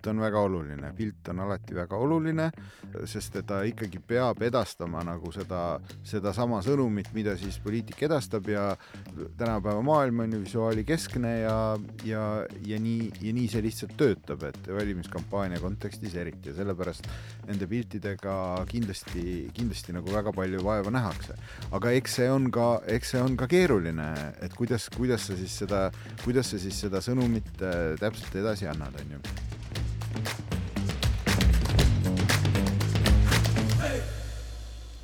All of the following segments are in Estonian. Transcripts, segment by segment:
pilt on väga oluline, pilt on alati väga oluline, sest ta ikkagi peab edastama nagu seda sama sõnumit, mida siis poliitik edastab ja tänapäeva maailm on ju visuaali keskne ja nii see lihtsalt töötab, et valimiskampaania kontekstis eriti ja sellepärast nende piltidega kindlasti nagu väga palju vaeva nähakse. Aga eks see on ka keeruline, et kuidas sa siis seda sõnumit täpselt edasi annad, on ju.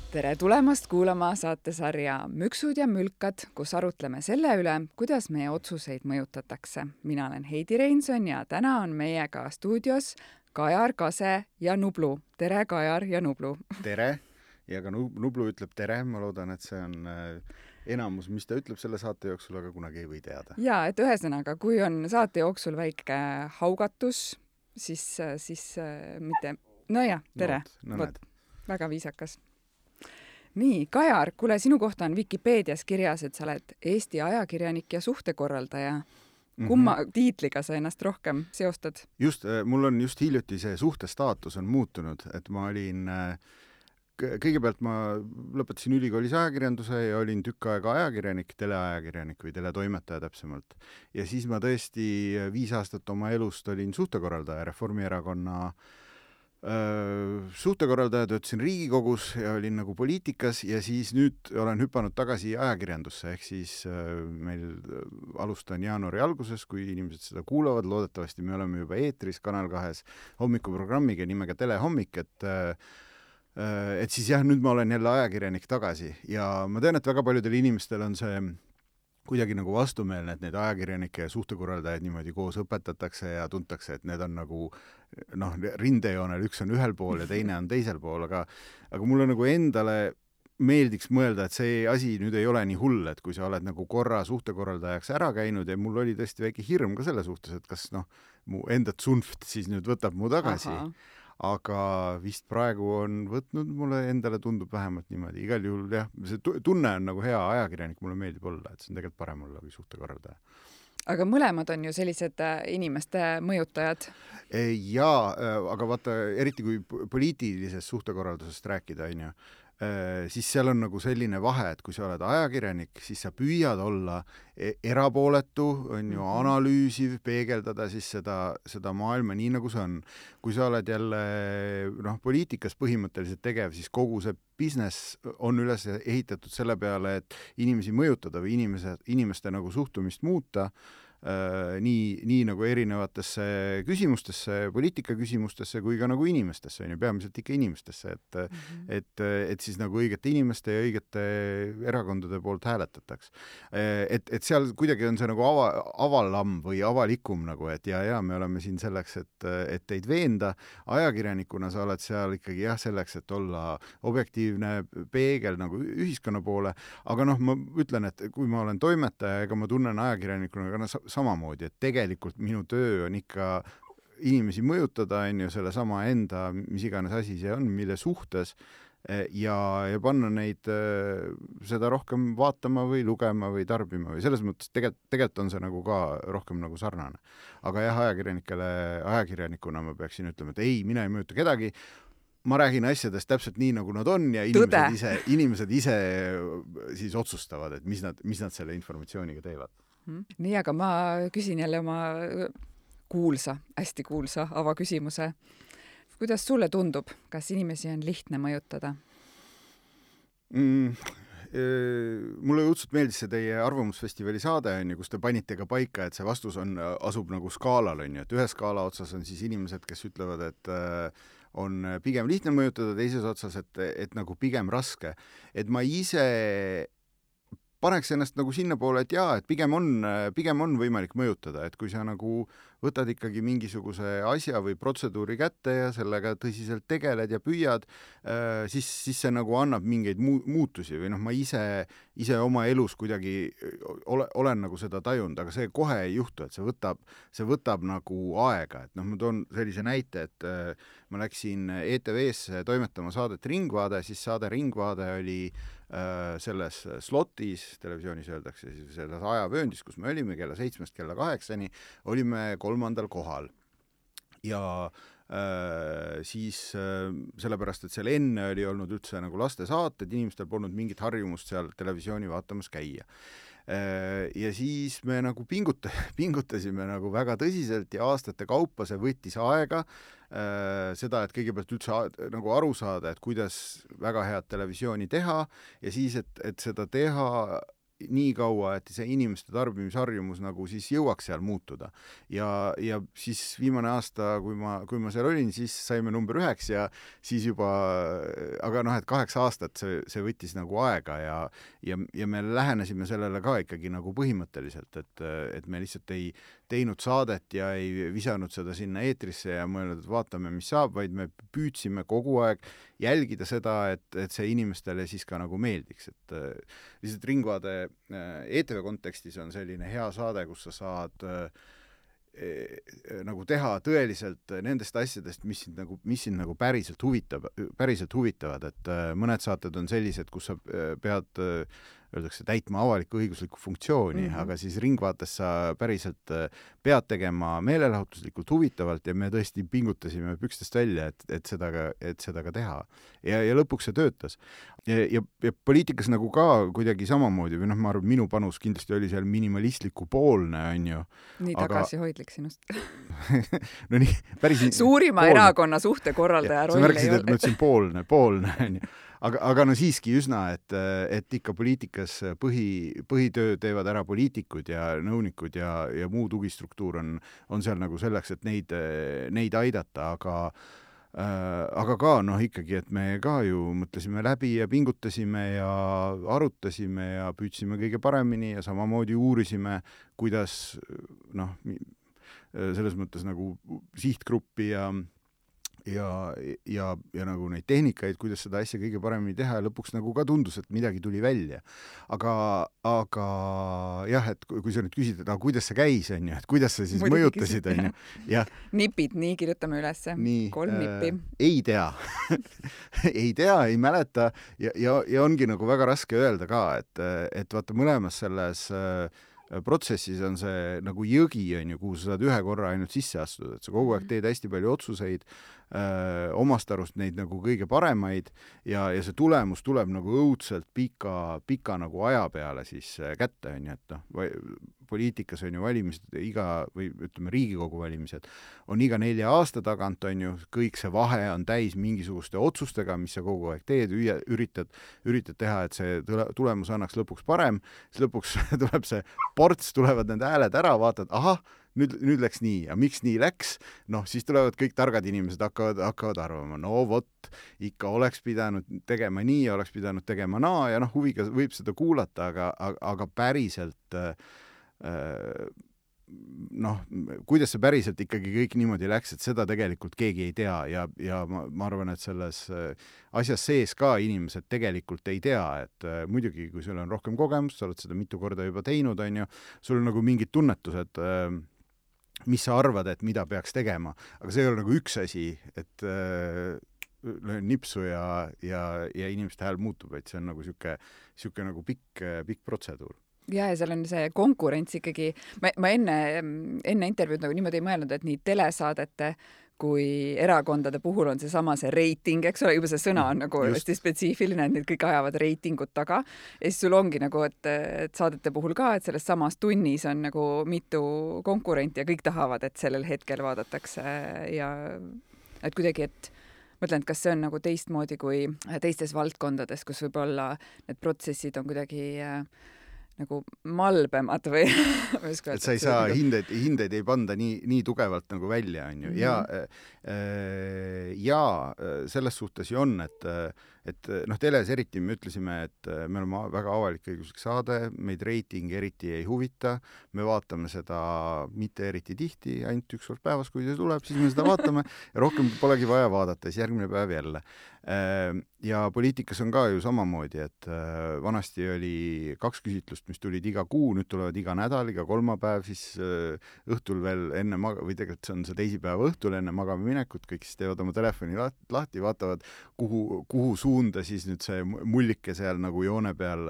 Tere tulemast kuulama saatesarja Müksud ja mülkad, kus arutleme selle üle, kuidas meie otsuseid mõjutatakse. Mina olen Heidi Reinson ja täna on meiega stuudios Kajar, Kase ja Nublu. Tere, Kajar ja Nublu! Tere! Ja ka Nublu ütleb tere, ma loodan, et see on enamus, mis ta ütleb selle saate jooksul, aga kunagi ei või teada. Ja, et ühesõnaga, kui on saate jooksul väike haugatus, siis mitte... No ja, tere! Väga viisakas. Nii, Kajar, kuule, sinu kohta on Wikipeedias kirjas, et sa oled Eesti ajakirjanik ja suhtekorraldaja. Kumma tiitliga sa ennast rohkem seostad? Just, mul on just hiljuti see suhtestaatus on muutunud, et ma olin... Kõigepealt ma lõpetasin ülikoolis ajakirjanduse ja olin tükk aega ajakirjanik, teleajakirjanik või teletoimetaja täpsemalt. Ja siis ma tõesti 5 aastat oma elust olin suhtekorraldaja, Reformierakonna suhtekorraldaja, töötasin Riigikogus ja olin nagu poliitikas ja siis nüüd olen hüpanud tagasi ajakirjandusse, ehk siis meil alustan jaanuari alguses, kui inimesed seda kuulavad, loodetavasti me oleme juba eetris Kanal 2 hommikuprogrammiga nimega Telehommik, et siis jah, nüüd ma olen jälle ajakirjanik tagasi ja ma tean, et väga paljudel inimestel on see kuidagi nagu vastumeelne, et need ajakirjanike ja suhtekorraldajaid niimoodi koos õpetatakse ja tuntakse, et need on nagu rindejoonel, üks on ühel pool ja teine on teisel pool, aga mulle nagu endale meeldiks mõelda, et see asi nüüd ei ole nii hull, et kui sa oled nagu korra suhtekorraldajaks ära käinud ja mul oli tõesti väike hirm ka selle suhtes, et kas mu enda tsunft siis nüüd võtab mu tagasi. Aha. Aga vist praegu on võtnud, mulle endale tundub vähemalt niimoodi. Igal juhul jah, see tunne on nagu hea ajakirjanik, mulle meeldib olla, et see on tegelikult parem olla kui suhtekorraldaja. Aga mõlemad on ju sellised inimeste mõjutajad. Jaa, aga vaata, eriti kui poliitilisest suhtekorraldusest rääkida, on ju, siis seal on nagu selline vahe, et kui sa oled ajakirjanik, siis sa püüad olla erapooletu, on ju, analüüsiv, peegeldada siis seda maailma nii, nagu see on. Kui sa oled jälle poliitikas põhimõtteliselt tegev, siis kogu see business on üles ehitatud selle peale, et inimesi mõjutada või inimeste nagu suhtumist muuta, nii nagu erinevatesse küsimustesse, poliitika küsimustesse kui ka nagu inimestesse, peamiselt ikka inimestesse, et siis nagu õigete inimeste ja õigete erakondade poolt hääletataks. Et seal kuidagi on see nagu avalam või avalikum nagu, et ja me oleme siin selleks, et teid veenda. Ajakirjanikuna sa oled seal ikkagi selleks, et olla objektiivne peegel nagu ühiskonna poole, aga ma ütlen, et kui ma olen toimetaja, ega ma tunnen ajakirjanikuna samamoodi, et tegelikult minu töö on ikka inimesi mõjutada, on ju, selle sama enda, mis iganes asi see on, mille suhtes ja panna neid seda rohkem vaatama või lugema või tarbima või selles mõttes tegelikult on see nagu ka rohkem nagu sarnane. Aga jah, ajakirjanikuna ma peaksin ütlema, et ei, mina ei mõjuta kedagi, ma räägin asjadest täpselt nii, nagu nad on ja inimesed ise siis otsustavad, et mis nad selle informatsiooniga teevad. Nii, aga ma küsin jälle oma hästi kuulsa avaküsimuse. Kuidas sulle tundub, kas inimesi on lihtne mõjutada? Mulle õudselt meeldis see teie Arvamusfestivali saade, kus te panite ka paika, et see vastus asub nagu skaalal, et ühe skaala otsas on siis inimesed, kes ütlevad, et on pigem lihtne mõjutada, teises otsas, et nagu pigem raske. Et ma ise paneks ennast nagu sinna poole, et jaa, et pigem on võimalik mõjutada, et kui sa nagu võtad ikkagi mingisuguse asja või protseduuri kätte ja sellega tõsiselt tegeled ja püüad, siis see nagu annab mingeid muutusi või ma ise oma elus kuidagi olen nagu seda tajunud, aga see kohe ei juhtu, et see võtab nagu aega, et ma toon sellise näite, et ma läksin ETV-sse toimetama saadet Ringvaade, siis saade Ringvaade oli selles slotis, televisioonis öeldakse, siis selles ajavööndis, kus me olime kella 7-st kella 8-ni, olime 3. kohal. ja siis sellepärast, et seal enne oli olnud üldse nagu lastesaated, inimestel polnud mingit harjumust seal televisiooni vaatamas käia. Ja siis me nagu pingutasime nagu väga tõsiselt ja aastate kaupa see võttis aega, seda, et kõigepealt üldse nagu aru saada, et kuidas väga head televisiooni teha ja siis, et seda teha nii kaua, et see inimeste tarbimisharjumus nagu siis jõuaks seal muutuda. Ja siis viimane aasta, kui ma seal olin, siis saime number 9 ja siis juba, aga noh, et 8 aastat see võttis nagu aega ja me lähenesime sellele ka ikkagi nagu põhimõtteliselt, et me lihtsalt ei teinud saadet ja ei visanud seda sinna eetrisse ja mõelnud, et vaatame, mis saab, vaid me püüdsime kogu aeg jälgida seda, et see inimestele siis ka nagu meeldiks, et lihtsalt Ringvaade ETV kontekstis on selline hea saade, kus sa saad nagu teha tõeliselt nendest asjadest, mis sind nagu päriselt huvitavad, et mõned saated on sellised, kus sa pead öeldakse täitma avalikku õiguslikku funktsiooni, aga siis Ringvaates sa päriselt pead tegema meelelahutuslikult huvitavalt ja me tõesti pingutasime pükstest välja, et seda ka teha. Ja lõpuks see töötas. Ja poliitikas nagu ka kuidagi samamoodi, või noh, ma arvan, minu panus kindlasti oli seal minimalistliku poolne, on ju. Nii tagasihoidlik sinust. No nii, päris suurima poolne. Erakonna suhtekorraldaja roll ei ole. Sa märkisid, et ma ütlesin poolne, on ju. Aga no siiski üsna, et ikka poliitikas põhitöö teevad ära poliitikud ja nõunikud ja muu tugistruktuur on seal nagu selleks, et neid aidata, aga ka noh ikkagi, et me ka ju mõtlesime läbi ja pingutasime ja arutasime ja püüdsime kõige paremini ja samamoodi uurisime, kuidas noh, selles mõttes nagu sihtgruppi ja nagu neid tehnikaid, kuidas seda asja kõige paremini teha ja lõpuks nagu ka tundus, et midagi tuli välja. Aga jah, et kui sa nüüd küsid, et kuidas see käis, on ju, et kuidas sa siis mõjutasid, on ju. Nipid, nii kirjutame ülesse. 3 nippi. Ei tea. Ei mäleta ja ongi nagu väga raske öelda ka, et vaata mõlemas selles protsessis on see nagu jõgi, on ju, kuhu sa saad ühe korra ainult sisse astuda, et sa kogu aeg teed hästi palju otsuseid, omast arust neid nagu kõige paremaid ja see tulemus tuleb nagu õudselt pika nagu aja peale siis kätte, on ju, et noh, poliitikas on ju valimised või ütleme, Riigikogu valimised on iga 4 aasta tagant, on ju, kõik see vahe on täis mingisuguste otsustega, mis sa kogu aeg teed, üritad teha, et see tulemus annaks lõpuks parem, siis lõpuks tuleb see ports, tulevad need hääled ära, vaatad, ahah, nüüd läks nii ja miks nii läks, noh, siis tulevad kõik targad inimesed hakkavad arvama, no vot, ikka oleks pidanud tegema nii ja oleks pidanud tegema naa ja noh, huviga võib seda kuulata, aga päriselt noh, kuidas see päriselt ikkagi kõik niimoodi läks, et seda tegelikult keegi ei tea ja ma arvan, et selles asjas sees ka inimesed tegelikult ei tea, et muidugi, kui sul on rohkem kogemust, sa oled seda mitu korda juba teinud, on ju, sul on nagu mingid tunnetused, mis sa arvad, et mida peaks tegema, aga see ei ole nagu üks asi, et löön nipsu ja inimeste hääl muutub, et see on nagu siuke nagu pikk protseduur. Ja seal on see konkurents ikkagi, ma enne intervjuud nagu niimoodi ei mõelnud, et nii telesaadete kui erakondade puhul on see reiting, eks ole, juba see sõna on nagu hästi spetsiifiline, et need kõik ajavad reitingut taga. Ja siis sul ongi nagu, et saadete puhul ka, et selles samas tunnis on nagu mitu konkurenti ja kõik tahavad, et sellel hetkel vaadatakse ja et kuidagi, et mõtlen, et kas see on nagu teistmoodi kui teistes valdkondades, kus võib-olla need protsessid on kuidagi nagu malbemad või et sa ei saa hindeid ei panda nii tugevalt nagu välja, on ju. Ja selles suhtes ju on, et noh, teles eriti me ütlesime, et me oleme väga avalik-õiguslik saade, meid reiting eriti ei huvita, me vaatame seda mitte eriti tihti, ainult 1 kord päevas, kui see tuleb, siis me seda vaatame ja rohkem polegi vaja vaadata, siis järgmine päev jälle. Ja poliitikas on ka ju samamoodi, et vanasti oli 2 küsitlust, mis tulid iga kuu, nüüd tulevad iga nädal, iga kolmapäev, siis õhtul veel enne või tegelikult see on see teisipäeva õhtul enne magama minekut, kõik siis teevad oma telefoni lahti, vaatavad, kuhu suunda suunda siis nüüd see mullike seal nagu joone peal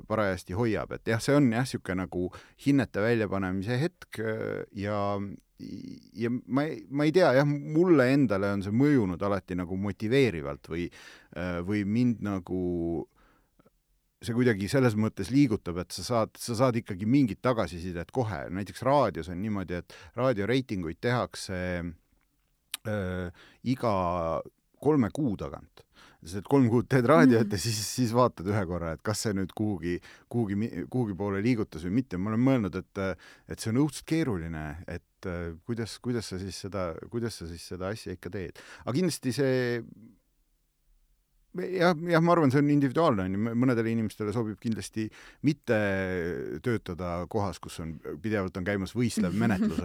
parajasti hoiab, et jah, see on jah, siuke nagu hinnete väljapanemise hetk ja ma ei tea, jah, mulle endale on see mõjunud alati nagu motiveerivalt või mind nagu see kuidagi selles mõttes liigutab, et sa saad ikkagi mingit tagasisidet kohe. Näiteks raadios on niimoodi, et raadioreitinguid tehakse iga 3 kuu tagant. Sest et 3 kuud teed raadiot ja siis vaatad ühe korra, et kas see nüüd kuhugi poole liigutas või mitte. Ma olen mõelnud, et see on õudselt keeruline, et kuidas sa siis seda asja ikka teed. Aga kindlasti see jah, ma arvan, see on individuaalne. Mõnedele inimestele sobib kindlasti mitte töötada kohas, kus pidevalt on käimas võistlev menetlus,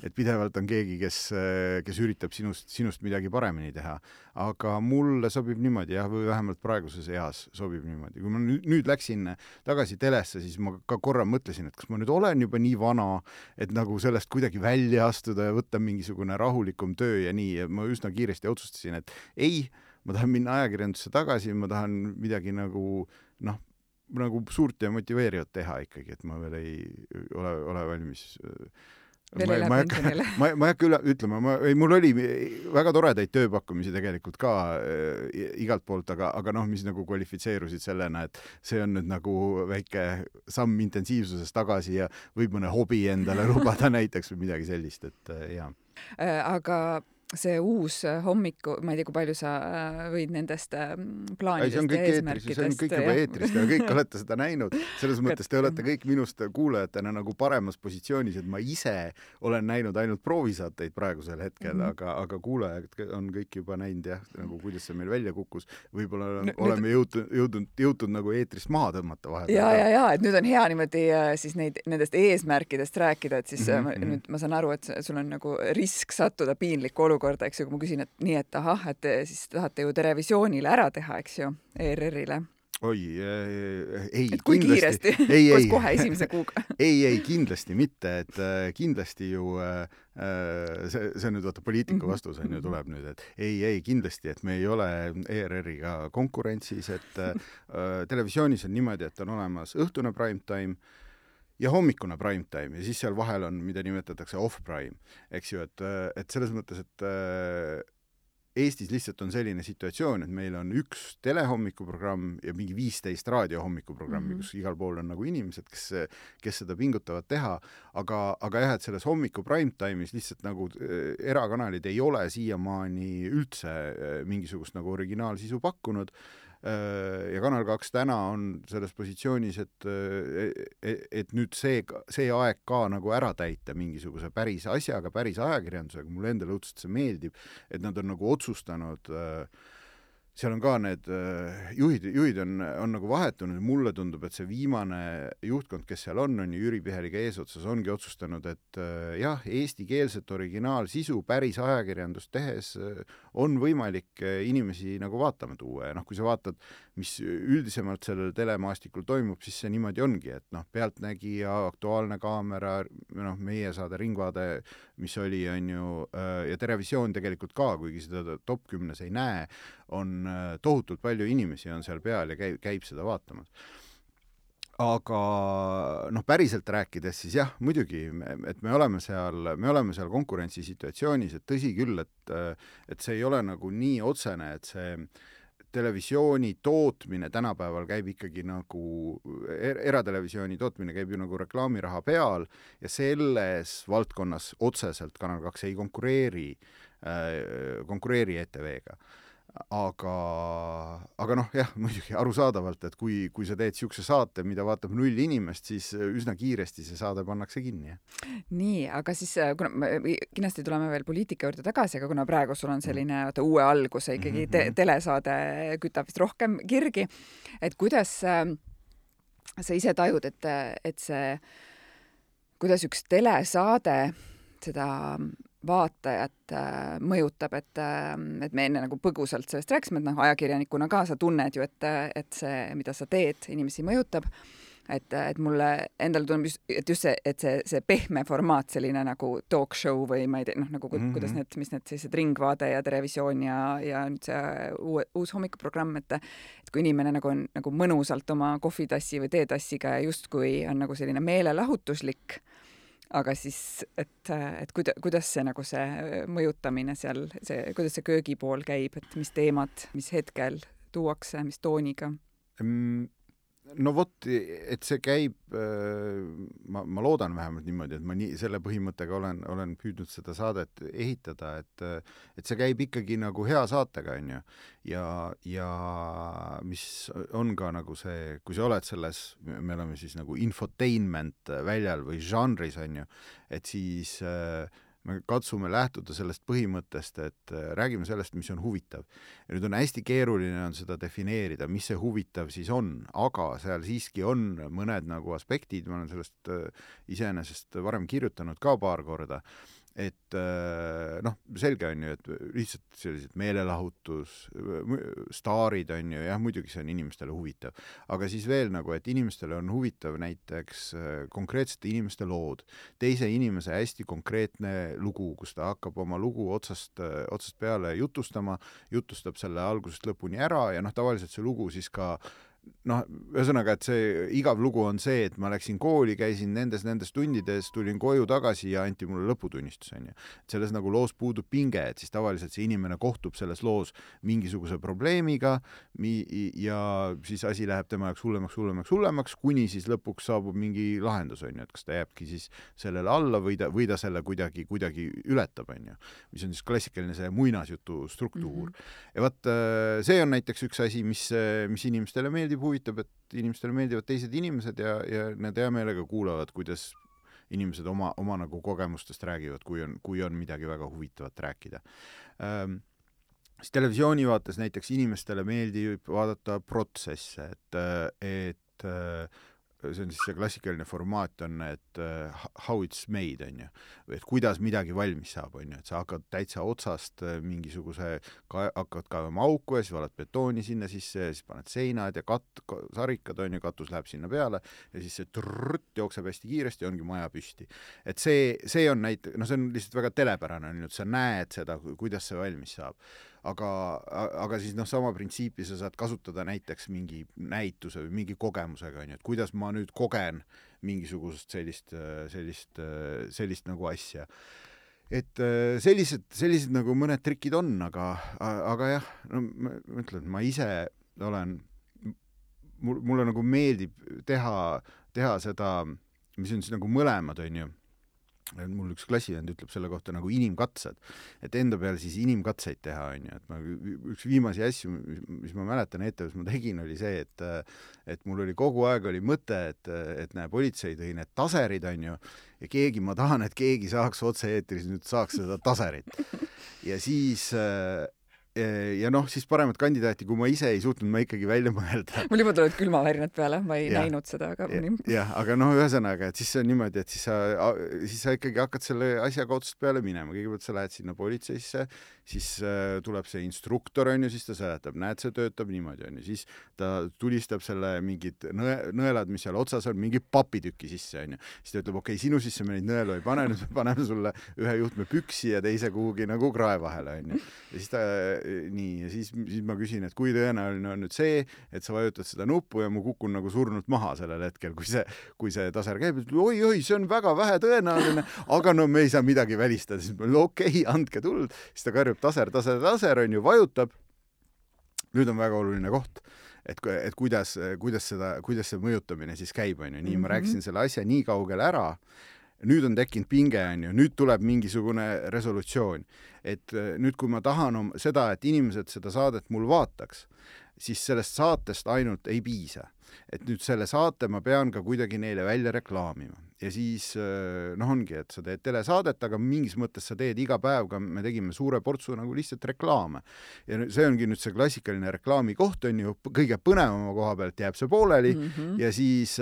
et pidevalt on keegi, kes üritab sinust midagi paremini teha. Aga mulle sobib niimoodi, jah, või vähemalt praeguses eas sobib niimoodi. Kui ma nüüd läksin tagasi telesse, siis ma ka korra mõtlesin, et kas ma nüüd olen juba nii vana, et nagu sellest kuidagi välja astuda ja võtta mingisugune rahulikum töö ja nii. Ja ma üsna kiiresti otsustasin, et ei, ma tahan minna ajakirjandusse tagasi, ma tahan midagi nagu suurt ja motiveerivat teha ikkagi, et ma veel ei ole valmis. Ma ei hakka ütlema, mul oli väga toredaid tööpakkumisi tegelikult ka igalt poolt, aga mis nagu kvalifitseerusid sellena, et see on nüüd nagu väike samm intensiivsuses tagasi ja võib mõne hobi endale lubada näiteks või midagi sellist, et jah. Aga see uus hommiku, ma ei tea, kui palju sa võid nendest plaanidest ja eesmärkidest. See on kõik juba eetrist ja kõik olete seda näinud. Selles mõttes te olete kõik minust kuulajatena nagu paremas positsioonis, et ma ise olen näinud ainult proovisaateid praegusel hetkel, aga kuulajad on kõik juba näinud jah, nagu kuidas see meil välja kukkus. Võib-olla oleme jõutud nagu eetrist maha tõmmata vahel. Ja, et nüüd on hea niimoodi siis nendest eesmärkidest rääkida, et siis nüüd ma saan aru, et sul on nagu risk sattuda piinlikku olukorda, eks ju, kui ma küsin, et nii, et ahah, et siis tahate ju Televisioonile ära teha, eks ju, ERR-ile. Oi, ei, et kui kindlasti. Kiiresti, kohe esimese kuuga. ei, kindlasti mitte, et kindlasti ju see on nüüd vaata poliitiku vastus on ju tuleb nüüd, et ei, kindlasti, et me ei ole ERR-iga konkurentsis, et televisioonis on niimoodi, et on olemas õhtune primetime ja hommikune primetime ja siis seal vahel on, mida nimetatakse off-prime, eks ju, et selles mõttes, et Eestis lihtsalt on selline situatsioon, et meil on üks telehommikuprogramm ja mingi 15 raadiohommikuprogrammi, kus igal pool on nagu inimesed, kes seda pingutavad teha, aga jah, et selles hommiku primetime'is lihtsalt nagu erakanalid ei ole siiamaani üldse mingisugust nagu originaalsisu pakkunud ja Kanal 2 täna on selles positsioonis, et nüüd see aeg ka nagu ära täita mingisuguse päris asjaga, päris ajakirjandusega, mulle endale õudselt see meeldib, et nad on nagu otsustanud, seal on ka need juhid on nagu vahetunud ja mulle tundub, et see viimane juhtkond, kes seal on Jüri Piheliga eesotsas, ongi otsustanud, et jah, eestikeelset originaalsisu päris ajakirjandust tehes on võimalik inimesi nagu vaatama tuua ja kui sa vaatad, mis üldisemalt sellel telemaastikul toimub, siis see niimoodi ongi, et Pealtnägija, Aktuaalne kaamera, meie saade Ringvaade, mis oli, on ju, ja Terevisioon tegelikult ka, kuigi seda top 10 ei näe, on tohutult palju inimesi on seal peal ja käib seda vaatamas. Aga päriselt rääkides siis jah, muidugi, et me oleme seal konkurentsisituatsioonis, et tõsi küll, et see ei ole nagu nii otsene, et see televisiooni tootmine tänapäeval käib ikkagi nagu, eratelevisiooni tootmine käib ju nagu reklaamiraha peal ja selles valdkonnas otseselt Kanal 2 ei konkureeri ETV-ga. Aga jah, muidugi arusaadavalt, et kui sa teed siukse saate, mida vaatab 0 inimest, siis üsna kiiresti see saade pannakse kinni. Nii, aga siis kindlasti tuleme veel poliitika juurde tagasi, aga kuna praegu sul on selline uue alguse ikkagi telesaade kütab vist rohkem kirgi, et kuidas sa ise tajud, et see, kuidas üks telesaade seda vaatajat mõjutab, et me enne nagu põgusalt sellest rääkisime, et ajakirjanikuna ka sa tunned ju, et see, mida sa teed, inimesi mõjutab. et mulle endale tundub just see, et see pehme formaat, selline nagu talk show või ma ei tea, noh, nagu kuidas mis need sellised Ringvaade ja Terevisioon ja nüüd see uus hommikuprogramm, et kui inimene nagu on nagu mõnusalt oma kohvitassi või teetassiga ja justkui on nagu selline meelelahutuslik, aga siis, et kuidas see nagu see mõjutamine seal, kuidas see köögipool käib, et mis teemad, mis hetkel tuuakse, mis tooniga? No vot, et see käib, ma loodan vähemalt niimoodi, et ma selle põhimõttega olen püüdnud seda saadet ehitada, et see käib ikkagi nagu hea saatega, on ju. Ja mis on ka nagu see, kui sa oled selles, me oleme siis nagu infotainment väljal või žanris, on ju, et siis me katsume lähtuda sellest põhimõttest, et räägime sellest, mis on huvitav. Ja nüüd on hästi keeruline on seda defineerida, mis see huvitav siis on, aga seal siiski on mõned nagu aspektid, ma olen sellest iseenesest varem kirjutanud ka paar korda, et noh, selge on ju, et lihtsalt sellised meelelahutus, staarid on ju, jah, muidugi see on inimestele huvitav, aga siis veel nagu, et inimestele on huvitav näiteks konkreetsete inimeste lood, teise inimese hästi konkreetne lugu, kus ta hakkab oma lugu otsast peale jutustab selle algusest lõpuni ära ja noh, tavaliselt see lugu siis ka noh, ühesõnaga, et see igav lugu on see, et ma läksin kooli, käisin nendes tundides, tulin koju tagasi ja anti mulle lõputunnistus, on ju. Et selles nagu loos puudub pinge, et siis tavaliselt see inimene kohtub selles loos mingisuguse probleemiga ja siis asi läheb tema jaoks hullemaks, kuni siis lõpuks saabub mingi lahendus, on ju, et kas ta jääbki siis sellele alla või ta selle kuidagi ületab, on ju. Mis on siis klassikaline see muinasjutu struktuur. Ja vaat see on näiteks üks asi, mis inimestele meeldib, huvitab, et inimestele meeldivad teised inimesed ja need hea meelega kuulavad, kuidas inimesed oma nagu kogemustest räägivad, kui on midagi väga huvitavat rääkida. Siis televisiooni vaates näiteks inimestele meeldib vaadata protsesse, et see on siis see klassikaline formaat on, et how it's made, on ju, et kuidas midagi valmis saab, on ju, et sa hakkad täitsa otsast hakkad kaevama auku ja siis valad betooni sinna sisse ja siis paned seinad ja sarikad, on ju, katus läheb sinna peale ja siis see jookseb hästi kiiresti ja ongi maja püsti. Et see on see on lihtsalt väga telepärane, on ju, et sa näed seda, kuidas see valmis saab. Aga siis sama printsiipi sa saad kasutada näiteks mingi näituse või mingi kogemusega, on ju, et kuidas ma nüüd kogen mingisugust sellist nagu asja. Et sellised nagu mõned trikid on, aga jah, no ma ütlen, ma ise olen, mulle nagu meeldib teha seda, mis on siis nagu mõlemad, on ju. Mul üks klassivend ütleb selle kohta nagu inimkatsed, et enda peale siis inimkatseid teha, on ju, et üks viimasi asju, mis ma mäletan ETV-s ma tegin, oli see, et mul oli kogu aeg oli mõte, et näe, politsei tõi need taserid, on ju, ja ma tahan, et keegi saaks otse-eetris nüüd saaks seda taserit. Ja siis siis paremat kandidaati, kui ma ise ei suutnud ma ikkagi välja mõelda. Mul juba tulevad külmavärinad peale, ma ei näinud seda, aga jah, aga ühesõnaga, et siis see on niimoodi, et siis sa ikkagi hakkad selle asjaga otsast peale minema. Kõigepealt sa lähed sinna politseisse, siis tuleb see instruktor, on ju, siis ta seletab, näed, see töötab niimoodi, on ju, siis ta tulistab selle mingid nõelad, mis seal otsas on, mingi papitükki sisse, on ju. Siis ta ütleb, okei, sinu sisse me neid nõelu ei pane, nüüd me paneme sulle ühe juhtme püksi ja teise kuhugi nagu krae vahele, on ju. Ja siis ja siis ma küsin, et kui tõenäoline on nüüd see, et sa vajutad seda nuppu ja mu kukun nagu surnult maha sellel hetkel, kui see taser käib, oi, see on väga vähe tõenäoline, aga no me ei saa midagi välistada, siis ma okei, andke tuld, siis ta karjub taser, on ju, vajutab. Nüüd on väga oluline koht, et kuidas see mõjutamine siis käib, on ju, nii ma rääkisin selle asja nii kaugele ära, nüüd on tekkinud pinge, on ju, nüüd tuleb mingisugune resolutsioon. Et nüüd, kui ma tahan seda, et inimesed seda saadet mul vaataks, siis sellest saatest ainult ei piisa. Et nüüd selle saate ma pean ka kuidagi neile välja reklaamima. ja siis ongi, et sa teed telesaadet, aga mingis mõttes sa teed iga päev ka, me tegime suure portsu nagu lihtsalt reklaame. Ja see ongi nüüd see klassikaline reklaami koht, on ju, kõige põnevama koha pealt jääb see pooleli ja siis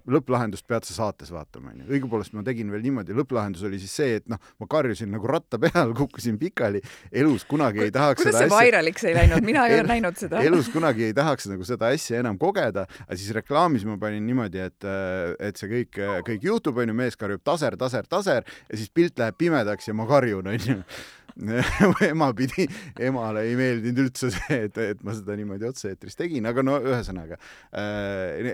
lõpplahendust pead sa saates vaatama, on ju. Õigupoolest ma tegin veel niimoodi, lõpplahendus oli siis see, et ma karjusin nagu ratta peal, kukkusin pikali, elus kunagi ei tahaks kuidas see vairaliks ei läinud? Mina ei ole näinud seda. Elus kunagi ei tahaks nagu seda asja enam kogeda, aga siis reklaamis ma panin niimoodi, et see kõik juhtub, on ju, mees karjub taser ja siis pilt läheb pimedaks ja ma karjun, on ju. Emale ei meeldinud üldse see, et ma seda niimoodi otse-eetris tegin, aga no ühesõnaga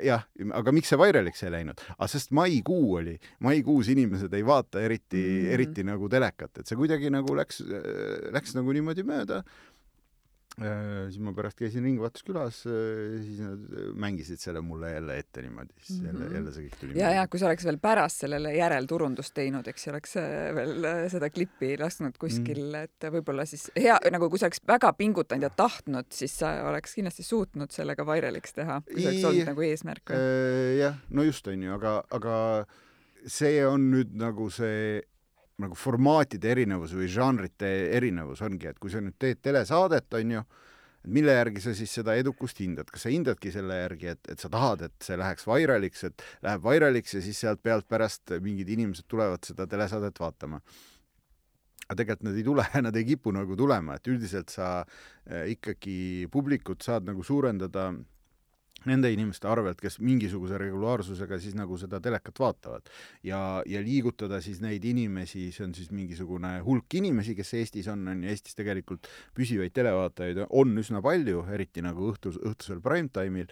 jah, aga miks see vairaliks ei läinud? Sest maikuus inimesed ei vaata eriti nagu telekat, et see kuidagi nagu läks nagu niimoodi mööda. Siis ma pärast käisin Ringvaatuskülas, siis nad mängisid selle mulle jälle ette niimoodi, siis jälle see kõik tuli. Ja kui sa oleks veel pärast sellele järelturundust teinud, eks oleks veel seda klippi lasknud kuskil, et võib-olla siis hea, nagu kui sa oleks väga pingutanud ja tahtnud, siis sa oleks kindlasti suutnud sellega vairaliks teha, kui see oleks olnud nagu eesmärk. Jah, no just on ju, aga see on nüüd nagu see nagu formaatide erinevus või žanrite erinevus ongi, et kui sa nüüd teed telesaadet, on ju, mille järgi sa siis seda edukust hindad? Kas sa hindadki selle järgi, et sa tahad, et see läheks vairaliks, et läheb vairaliks ja siis sealt pealt pärast mingid inimesed tulevad seda telesaadet vaatama? Aga tegelikult nad ei tule, nad ei kipu nagu tulema, et üldiselt sa ikkagi publikut saad nagu suurendada nende inimeste arvelt, kes mingisuguse regulaarsusega siis nagu seda telekat vaatavad ja liigutada siis neid inimesi, see on siis mingisugune hulk inimesi, kes Eestis on Eestis tegelikult püsivaid televaatajaid on üsna palju, eriti nagu õhtusel primetime'il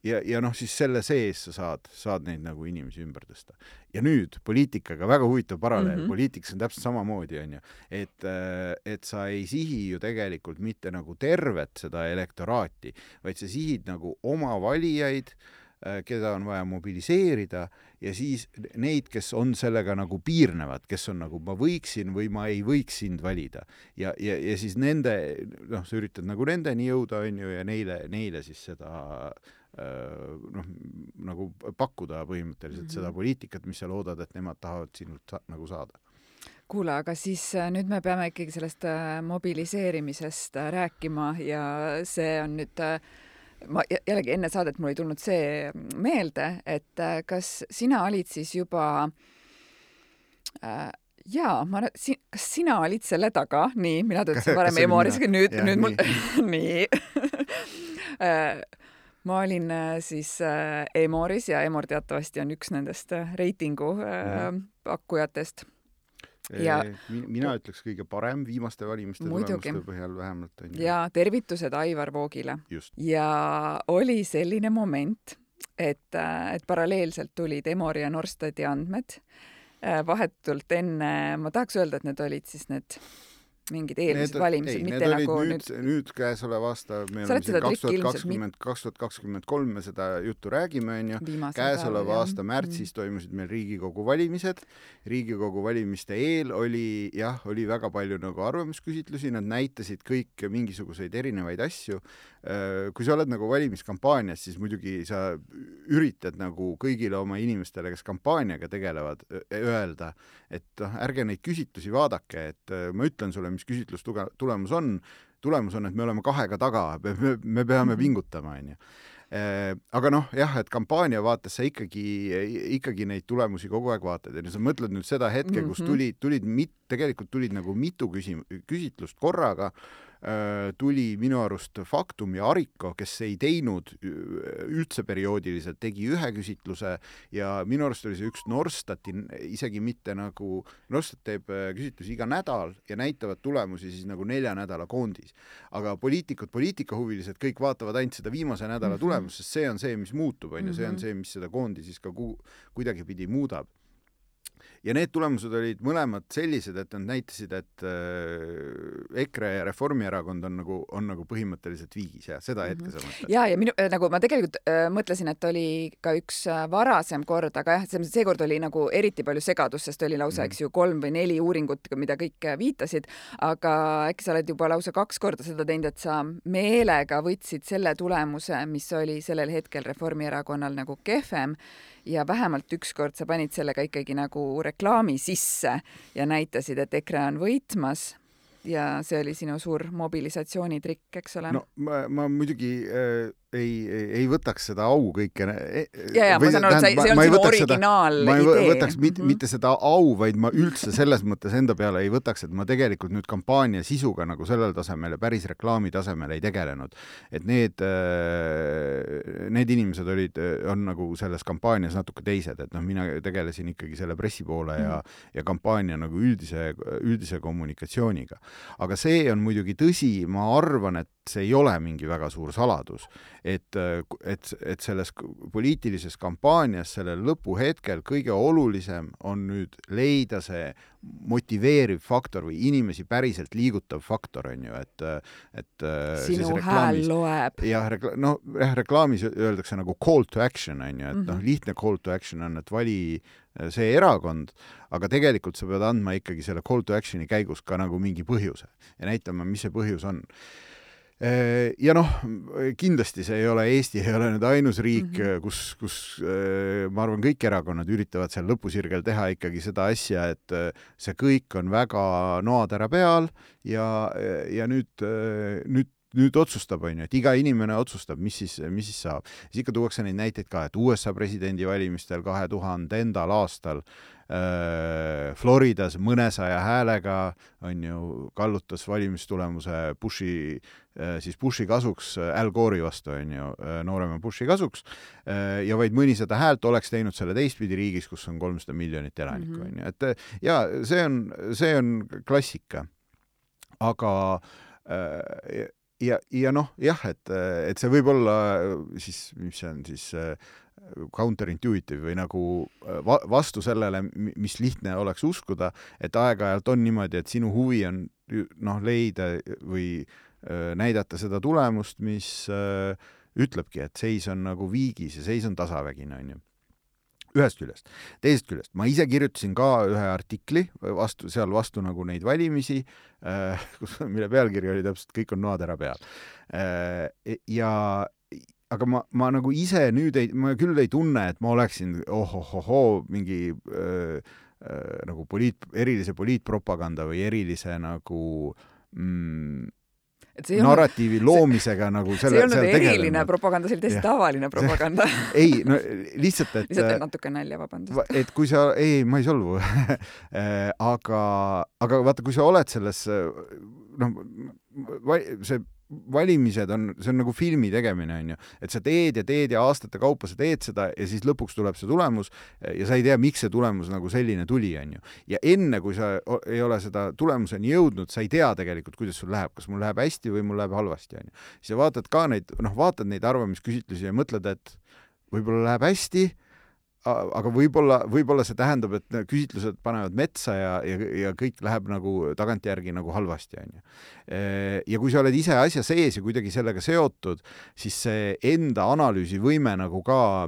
ja noh, siis selle sees sa saad neid nagu inimesi ümber tõsta. Ja nüüd poliitikaga väga huvitav paralleel, poliitikas on täpselt samamoodi, on ju, et sa ei sihi ju tegelikult mitte nagu tervet seda elektoraati, vaid sa sihid nagu oma valijaid, keda on vaja mobiliseerida ja siis neid, kes on sellega nagu piirnevad, kes on nagu ma võiksin või ma ei võiks sind valida. Ja siis nende, noh, sa üritad nagu nendeni jõuda, on ju, ja neile siis seda nagu pakkuda põhimõtteliselt seda poliitikat, mis sa loodad, et nemad tahavad sinult nagu saada. Kuule, aga siis nüüd me peame ikkagi sellest mobiliseerimisest rääkima ja see on nüüd ma jällegi enne saadet mul ei tulnud see meelde, et kas sina olid siis juba kas sina olid selle taga? Nii, mina töötasin varem Emoris, nüüd mul nii. Ma olin siis Emoris ja Emor teatavasti on üks nendest reitingu pakkujatest. Ja, mina ütleks kõige parem viimaste valimiste tulemuste põhjal vähemalt. Ja tervitused Aivar Voogile. Just. Ja oli selline moment, et paralleelselt tulid Emori ja Norstati andmed vahetult enne, ma tahaks öelda, et need olid siis need mingid eelmised valimised, mitte nagu nüüd käesoleva aasta, me oleme 2023 me seda juttu räägime, on ju. Käesoleva aasta märtsis toimusid meil Riigikogu valimised. Riigikogu valimiste eel oli väga palju nagu arvamusküsitlusi, nad näitasid kõik mingisuguseid erinevaid asju. Kui sa oled nagu valimiskampaanias, siis muidugi sa üritad nagu kõigile oma inimestele, kes kampaaniaga tegelevad, öelda, et ärge neid küsitlusi vaadake, et ma ütlen sulle, mis küsitlustulemus on. Tulemus on, et me oleme 2 taga, me peame pingutama, on ju. Aga noh, jah, et kampaania vaates sa ikkagi neid tulemusi kogu aeg vaatad. Ja sa mõtled nüüd seda hetke, kus tegelikult tulid nagu mitu küsitlust korraga, tuli minu arust Faktum ja Ariko, kes ei teinud üldse perioodiliselt, tegi ühe küsitluse ja minu arust oli see üks Norstati, isegi mitte nagu, Norstat teeb küsitlusi iga nädal ja näitavad tulemusi siis nagu 4 nädala koondis. Aga poliitikahuvilised kõik vaatavad ainult seda viimase nädala tulemust, sest see on see, mis muutub, on ju, see on see, mis seda koondis siis ka kuidagi pidi muudab. Ja need tulemused olid mõlemad sellised, et nad näitasid, et EKRE ja Reformierakond on nagu põhimõtteliselt viigis ja seda hetke sa mõtled. Ja nagu ma tegelikult mõtlesin, et oli ka üks varasem kord, aga jah, seekord oli nagu eriti palju segadust, sest oli lausa, eks ju, 3 või 4 uuringut, mida kõik viitasid, aga äkki sa oled juba lausa 2 korda seda teinud, et sa meelega võtsid selle tulemuse, mis oli sellel hetkel Reformierakonnal nagu kehvem ja vähemalt ükskord sa panid sellega ikkagi nagu reklaami sisse ja näitasid, et EKRE on võitmas ja see oli sinu suur mobilisatsioonitrikk, eks ole? No ma muidugi ei võtaks seda au kõike. Ja, ma saan aru, et see on sinu originaal idee. Ma ei võtaks mitte seda au, vaid ma üldse selles mõttes enda peale ei võtaks, et ma tegelikult nüüd kampaania sisuga nagu sellel tasemel ja päris reklaami tasemel ei tegelenud. Et need inimesed on nagu selles kampaanias natuke teised, et mina tegelesin ikkagi selle pressi poole ja kampaania nagu üldise kommunikatsiooniga. Aga see on muidugi tõsi, ma arvan, et see ei ole mingi väga suur saladus, et selles poliitilises kampaanias sellel lõpuhetkel kõige olulisem on nüüd leida see motiveeriv faktor või inimesi päriselt liigutav faktor, on ju, et sinu hääl loeb. Reklaamis öeldakse nagu call to action, on ju, et lihtne call to action on, et vali see erakond, aga tegelikult sa pead andma ikkagi selle call to actioni käigus ka nagu mingi põhjuse ja näitama, mis see põhjus on. Ja kindlasti see ei ole Eesti, ei ole nüüd ainus riik, kus ma arvan, kõik erakonnad üritavad seal lõpusirgel teha ikkagi seda asja, et see kõik on väga noatera peal ja nüüd otsustab, on ju, et iga inimene otsustab, mis siis saab. Siis ikka tuuakse neid näiteid ka, et USA presidendi valimistel 2000. aastal Floridas mõnesaja häälega on ju kallutas valimistulemuse Bushi kasuks, Al Gore'i vastu on ju, noorema Bushi kasuks ja vaid mõnisada häält oleks teinud selle teistpidi riigis, kus on 300 miljonit elanikku, on ju. Et ja see on klassika. Aga et see võib olla siis, mis see on siis counterintuitive või nagu vastu sellele, mis lihtne oleks uskuda, et aeg-ajalt on niimoodi, et sinu huvi on leida või näidata seda tulemust, mis ütlebki, et seis on nagu viigis ja seis on tasavägine, on ju. Ühest küljest. Teisest küljest. Ma ise kirjutasin ka ühe artikli seal vastu nagu neid valimisi, mille pealkiri oli täpselt kõik on noatera peal. Aga ma nagu ise nüüd ma küll ei tunne, et ma oleksin mingi nagu erilise poliitpropaganda või erilise nagu narratiivi loomisega nagu see ei olnud eriline propaganda, see oli täiesti tavaline propaganda. Ei, no lihtsalt, et lihtsalt natuke nalja, vabandust. Et kui sa, ma ei solvu, aga vaata, kui sa oled selles, see valimised see on nagu filmi tegemine, on ju, et sa teed ja aastate kaupa sa teed seda ja siis lõpuks tuleb see tulemus ja sa ei tea, miks see tulemus nagu selline tuli, on ju. Ja enne, kui sa ei ole seda tulemuseni jõudnud, sa ei tea tegelikult, kuidas sul läheb, kas mul läheb hästi või mul läheb halvasti, on ju. Siis sa vaatad ka vaatad neid arvamisküsitlusi ja mõtled, et võib-olla läheb hästi, aga võib-olla see tähendab, et küsitlused panevad metsa ja kõik läheb nagu tagantjärgi nagu halvasti, on ju. Ja kui sa oled ise asja sees ja kuidagi sellega seotud, siis see enda analüüsivõime nagu ka,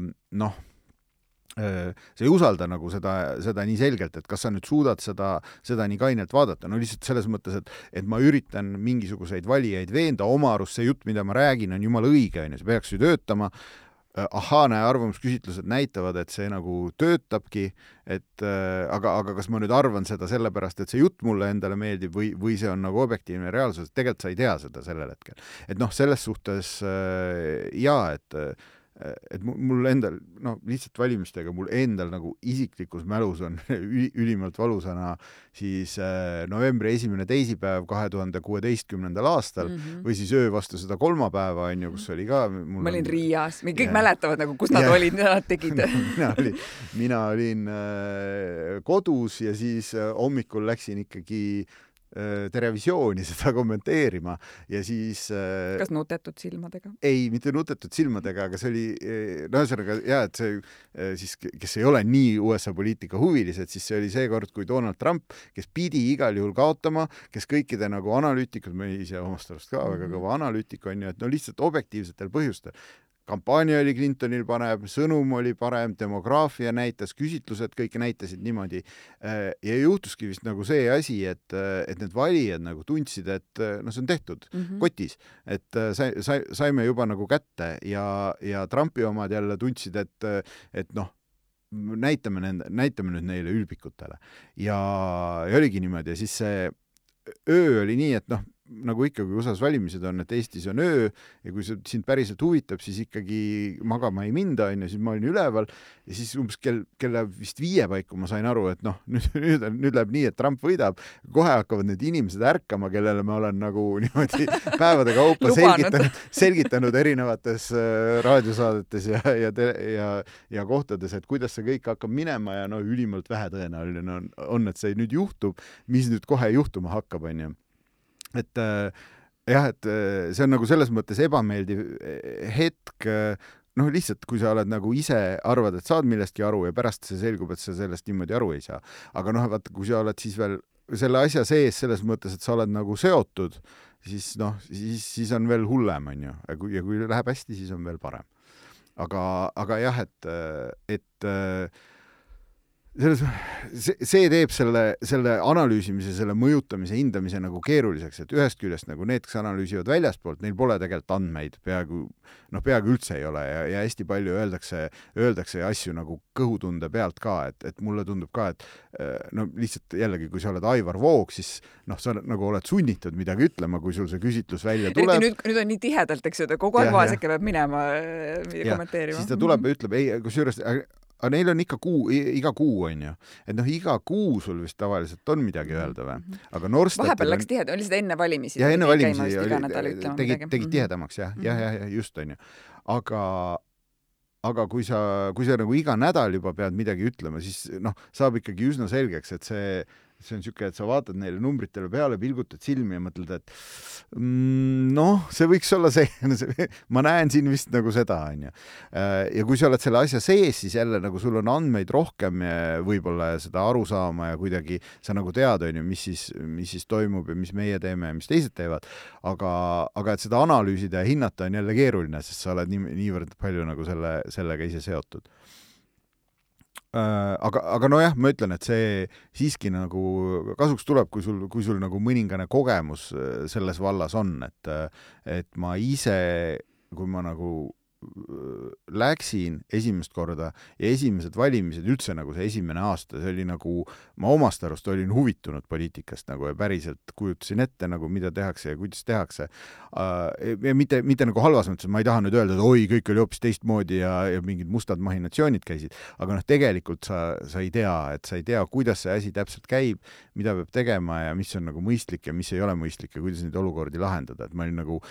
sa ei usalda nagu seda nii selgelt, et kas sa nüüd suudad seda nii kainelt vaadata. No lihtsalt selles mõttes, et ma üritan mingisuguseid valijaid veenda, oma arust see jutt, mida ma räägin, on jumala õige, on ju, see peaks ju töötama. Arvamusküsitlused näitavad, et see nagu töötabki, aga kas ma nüüd arvan seda sellepärast, et see jutt mulle endale meeldib või see on nagu objektiivne reaalsus, tegelikult sa ei tea seda sellel hetkel. Et selles suhtes et mul endal, lihtsalt valimistega mul endal nagu isiklikus mälus on ülimalt valusana siis novembri 1. teisipäev 2016. aastal või siis öö vastu seda kolmapäeva, on ju, kus oli ka ma olin Riias, kõik mäletavad nagu, kus nad olid, mida nad tegid. Mina olin kodus ja siis hommikul läksin ikkagi Terevisiooni seda kommenteerima ja siis kas nutetud silmadega? Ei, mitte nutetud silmadega, aga see oli ühesõnaga, et see siis, kes ei ole nii USA poliitika huvilised, siis see oli see kord, kui Donald Trump, kes pidi igal juhul kaotama, kes kõikide nagu analüütikud, me ise omast arust ka väga kõva analüütik on ju, et lihtsalt objektiivsetel põhjustel. Kampaania oli Clintonil parem, sõnum oli parem, demograafia näitas, küsitlused kõik näitasid niimoodi. Ja juhtuski vist nagu see asi, et need valijad nagu tundsid, et see on tehtud kotis, et saime juba nagu kätte ja Trumpi omad jälle tundsid, et näitame nüüd neile ülbikutele. Ja oligi niimoodi ja siis see öö oli nii, et noh, nagu ikka, kui USA-s valimised on, et Eestis on öö ja kui see sind päriselt huvitab, siis ikkagi magama ei minda, siis ma olin üleval ja siis umbes kella vist 5 paiku ma sain aru, et noh, nüüd läheb nii, et Trump võidab, kohe hakkavad need inimesed ärkama, kellele ma olen nagu niimoodi päevade kaupa selgitanud erinevates raadiosaadetes ja kohtades, et kuidas see kõik hakkab minema ja no ülimalt vähetõenäoline on, et see nüüd juhtub, mis nüüd kohe juhtuma hakkab, onju. Et jah, et see on nagu selles mõttes ebameeldiv hetk, noh lihtsalt, kui sa oled nagu ise arvad, et saad millestki aru ja pärast see selgub, et sa sellest niimoodi aru ei saa. Aga noh, vaata, kui sa oled siis veel selle asja sees selles mõttes, et sa oled nagu seotud, siis noh, siis on veel hullem, on ju. Ja kui läheb hästi, siis on veel parem. Aga jah, et see teeb selle analüüsimise, selle mõjutamise, hindamise nagu keeruliseks, et ühest küljest nagu need, kes analüüsivad väljaspoolt, neil pole tegelikult andmeid, peaaegu üldse ei ole ja hästi palju öeldakse asju nagu kõhutunde pealt ka, et mulle tundub ka, et no lihtsalt jällegi, kui sa oled Aivar Voog, siis noh, sa nagu oled sunnitud midagi ütlema, kui sul see küsitlus välja tuleb. Nüüd on nii tihedalt, eks ju, kogu aeg vaaseke peab minema kommenteerima. Siis ta tuleb ja ütleb, ei, kusjuures aga neil on iga kuu on ju. Et noh, iga kuu sul vist tavaliselt on midagi öelda või? Aga Norstatil vahepeal läks tihedam, oli seda enne valimisi? Ja enne valimisi tegid tihedamaks, jah, just on ju. Aga kui sa nagu iga nädal juba pead midagi ütlema, siis noh, saab ikkagi üsna selgeks, et see on niisugune, et sa vaatad neile numbritele peale, pilgutad silmi ja mõtled, et noh, see võiks olla see, ma näen siin vist nagu seda, on ju. Ja kui sa oled selle asja sees, siis jälle nagu sul on andmeid rohkem ja võib-olla seda aru saama ja kuidagi sa nagu tead, on ju, mis siis toimub ja mis meie teeme ja mis teised teevad. Aga et seda analüüsida ja hinnata on jälle keeruline, sest sa oled niivõrd palju nagu sellega ise seotud. Aga nojah, ma ütlen, et see siiski nagu kasuks tuleb, kui sul nagu mõningane kogemus selles vallas on, et ma ise, kui ma nagu läksin esimest korda ja esimesed valimised üldse nagu see esimene aasta, see oli nagu, ma omast arust olin huvitunud poliitikast nagu ja päriselt kujutasin ette nagu, mida tehakse ja kuidas tehakse. Ja mitte nagu halvas mõttes, ma ei taha nüüd öelda, et oi, kõik oli hoopis teistmoodi ja mingid mustad mahinatsioonid käisid, aga noh, tegelikult sa ei tea, kuidas see asi täpselt käib, mida peab tegema ja mis on nagu mõistlik ja mis ei ole mõistlik ja kuidas neid olukordi lahendada. Et ma olin nagu,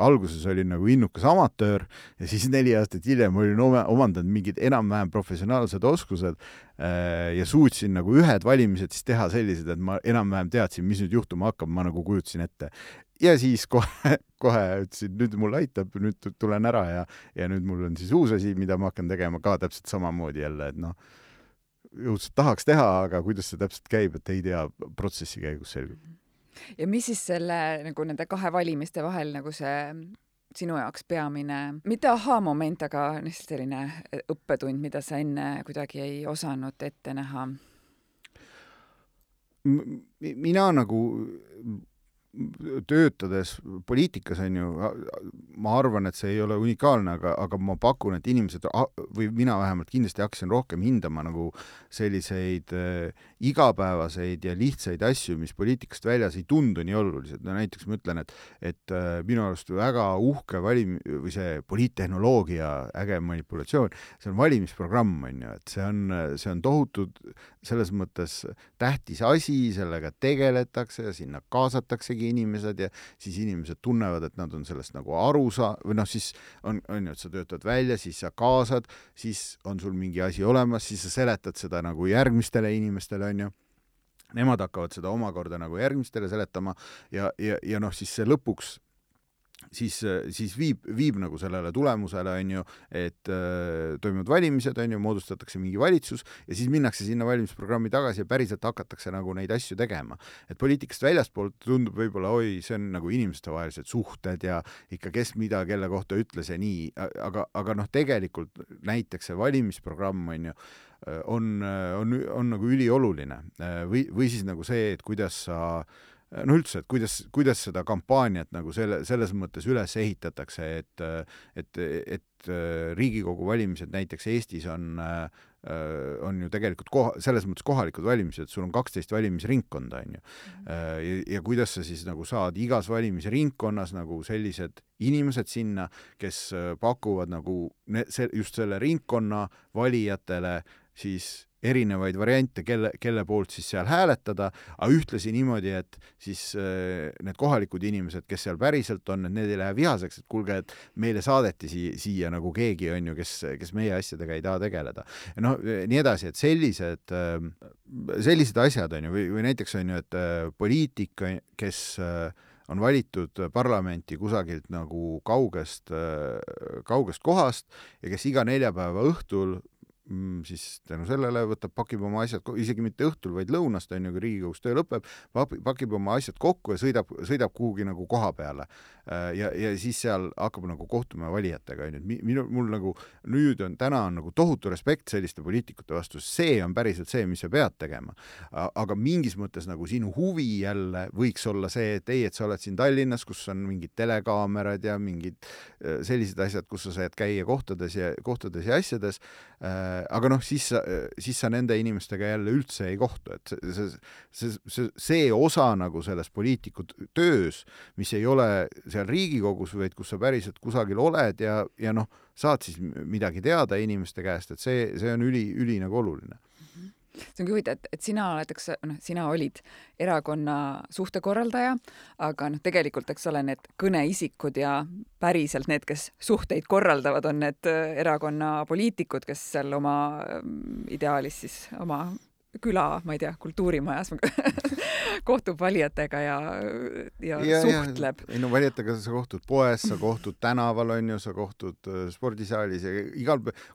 alguses olin nagu innukas amatöör ja siis 4 aastat hiljem olin omandanud mingid enam-vähem professionaalsed oskused ja suutsin nagu ühed valimised siis teha sellised, et ma enam-vähem teadsin, mis nüüd juhtuma hakkab, ma nagu kujutasin ette. Ja siis kohe ütlesin, nüüd mul aitab, nüüd tulen ära ja nüüd mul on siis uus asi, mida ma hakkan tegema ka täpselt samamoodi jälle, et noh, jõudselt tahaks teha, aga kuidas see täpselt käib, et ei tea, protsessi käigus selgub. Ja mis siis selle nagu nende 2 valimiste vahel nagu see sinu jaoks peamine, mitte aha-moment, aga selline õppetund, mida sa enne kuidagi ei osanud ette näha? Mina nagu töötades poliitikas on ju, ma arvan, et see ei ole unikaalne, aga ma pakun, et inimesed või mina vähemalt kindlasti hakkasin rohkem hindama nagu selliseid igapäevaseid ja lihtsaid asju, mis poliitikast väljas ei tundu nii olulised. No näiteks ma ütlen, et minu arust väga uhke või see poliittehnoloogia äge manipulatsioon, see on valimisprogramm, on ju, et see on tohutud selles mõttes tähtis asi, sellega tegeletakse ja sinna kaasatakse inimesed ja siis inimesed tunnevad, et nad on sellest nagu aru või noh, siis on ju, et sa töötad välja, siis sa kaasad, siis on sul mingi asi olemas, siis sa seletad seda nagu järgmistele inimestele, on ju. Nemad hakkavad seda omakorda nagu järgmistele seletama ja noh, siis see lõpuks siis viib nagu sellele tulemusele, on ju, et toimuvad valimised, on ju, moodustatakse mingi valitsus ja siis minnakse sinna valimisprogrammi tagasi ja päriselt hakatakse nagu neid asju tegema. Et poliitikast väljaspoolt tundub võib-olla, oi, see on nagu inimestevahelised suhted ja ikka kes mida, kelle kohta ütles ja nii, aga noh, tegelikult näiteks see valimisprogramm, on ju, on nagu ülioluline või siis nagu see, et kuidas sa no üldse, et kuidas seda kampaaniat nagu selles mõttes üles ehitatakse, et Riigikogu valimised näiteks Eestis on on ju tegelikult selles mõttes kohalikud valimised, sul on 12 valimisringkonda, on ju. Ja kuidas sa siis nagu saad igas valimisringkonnas nagu sellised inimesed sinna, kes pakuvad nagu just selle ringkonna valijatele siis erinevaid variante, kelle poolt siis seal hääletada, aga ühtlasi niimoodi, et siis need kohalikud inimesed, kes seal päriselt on, et need ei lähe vihaseks, et kuulge, et meile saadeti siia nagu keegi, on ju, kes meie asjadega ei taha tegeleda. No nii edasi, et sellised asjad, on ju, või näiteks on ju, et poliitik, kes on valitud parlamenti kusagilt nagu kaugest kohast ja kes iga neljapäeva õhtul siis tänu sellele pakib oma asjad, isegi mitte õhtul, vaid lõunast, on ju, kui Riigikogus töö lõpeb, pakib oma asjad kokku ja sõidab kuhugi nagu koha peale. Ja siis seal hakkab nagu kohtuma valijatega, on ju. Mul nagu täna on nagu tohutu respekt selliste poliitikute vastu, see on päriselt see, mis sa pead tegema. Aga mingis mõttes nagu sinu huvi jälle võiks olla see, et sa oled siin Tallinnas, kus on mingid telekaamerad ja mingid sellised asjad, kus sa saad käia kohtades ja asjades, aga siis sa nende inimestega jälle üldse ei kohtu, et see osa nagu selles poliitiku töös, mis ei ole seal Riigikogus, vaid kus sa päriselt kusagil oled ja saad siis midagi teada inimeste käest, et see on üli nagu oluline. See ongi huvitav, et sina olid erakonna suhtekorraldaja, aga tegelikult, eks ole, need kõneisikud ja päriselt need, kes suhteid korraldavad, on need erakonna poliitikud, kes seal oma ideaalis siis oma küla, ma ei tea, kultuurimajas kohtub valijatega ja suhtleb. No valijatega sa kohtud poes, sa kohtud tänaval, on ju, sa kohtud spordisaalis ja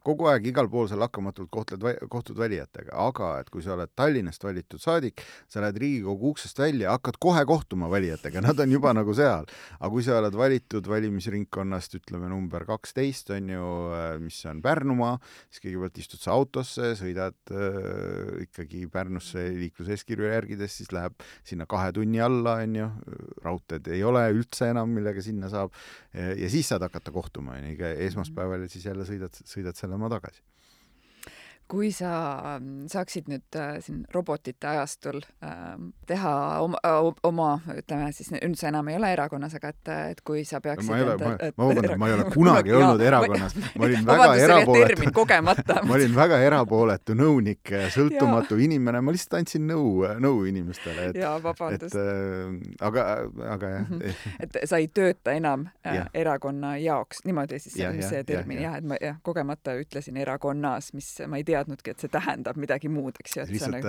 kogu aeg igal pool sa lakkamatult kohtud valijatega, aga et kui sa oled Tallinnast valitud saadik, sa lähed Riigikogu uksest välja, hakkad kohe kohtuma valijatega, nad on juba nagu seal. Aga kui sa oled valitud valimisringkonnast, ütleme number 12, on ju, mis on Pärnumaa, siis kõigepealt istud sa autosse, sõidad ikkagi Pärnusse liikluseeskirju järgides, siis läheb sinna 2 tunni alla, on ju, raudteed ei ole üldse enam, millega sinna saab, ja siis saad hakata kohtuma, iga esmaspäeval ja siis jälle sõidad selle maa tagasi. Kui sa saaksid nüüd siin robotite ajastul teha oma, ütleme siis, nüüd sa enam ei ole erakonnas, aga et kui sa peaksid... Ma ei ole kunagi olnud erakonnas. Ma olin väga erapooletu nõunik, sõltumatu inimene, ma lihtsalt andsin nõu inimestele. Jaa, vabandust. Aga jah. Et sa ei tööta enam erakonna jaoks, niimoodi siis see termin, et ma kogemata ütlesin erakonnas, mis ma ei teadnudki, et see tähendab midagi muud, eks ju. Lihtsalt,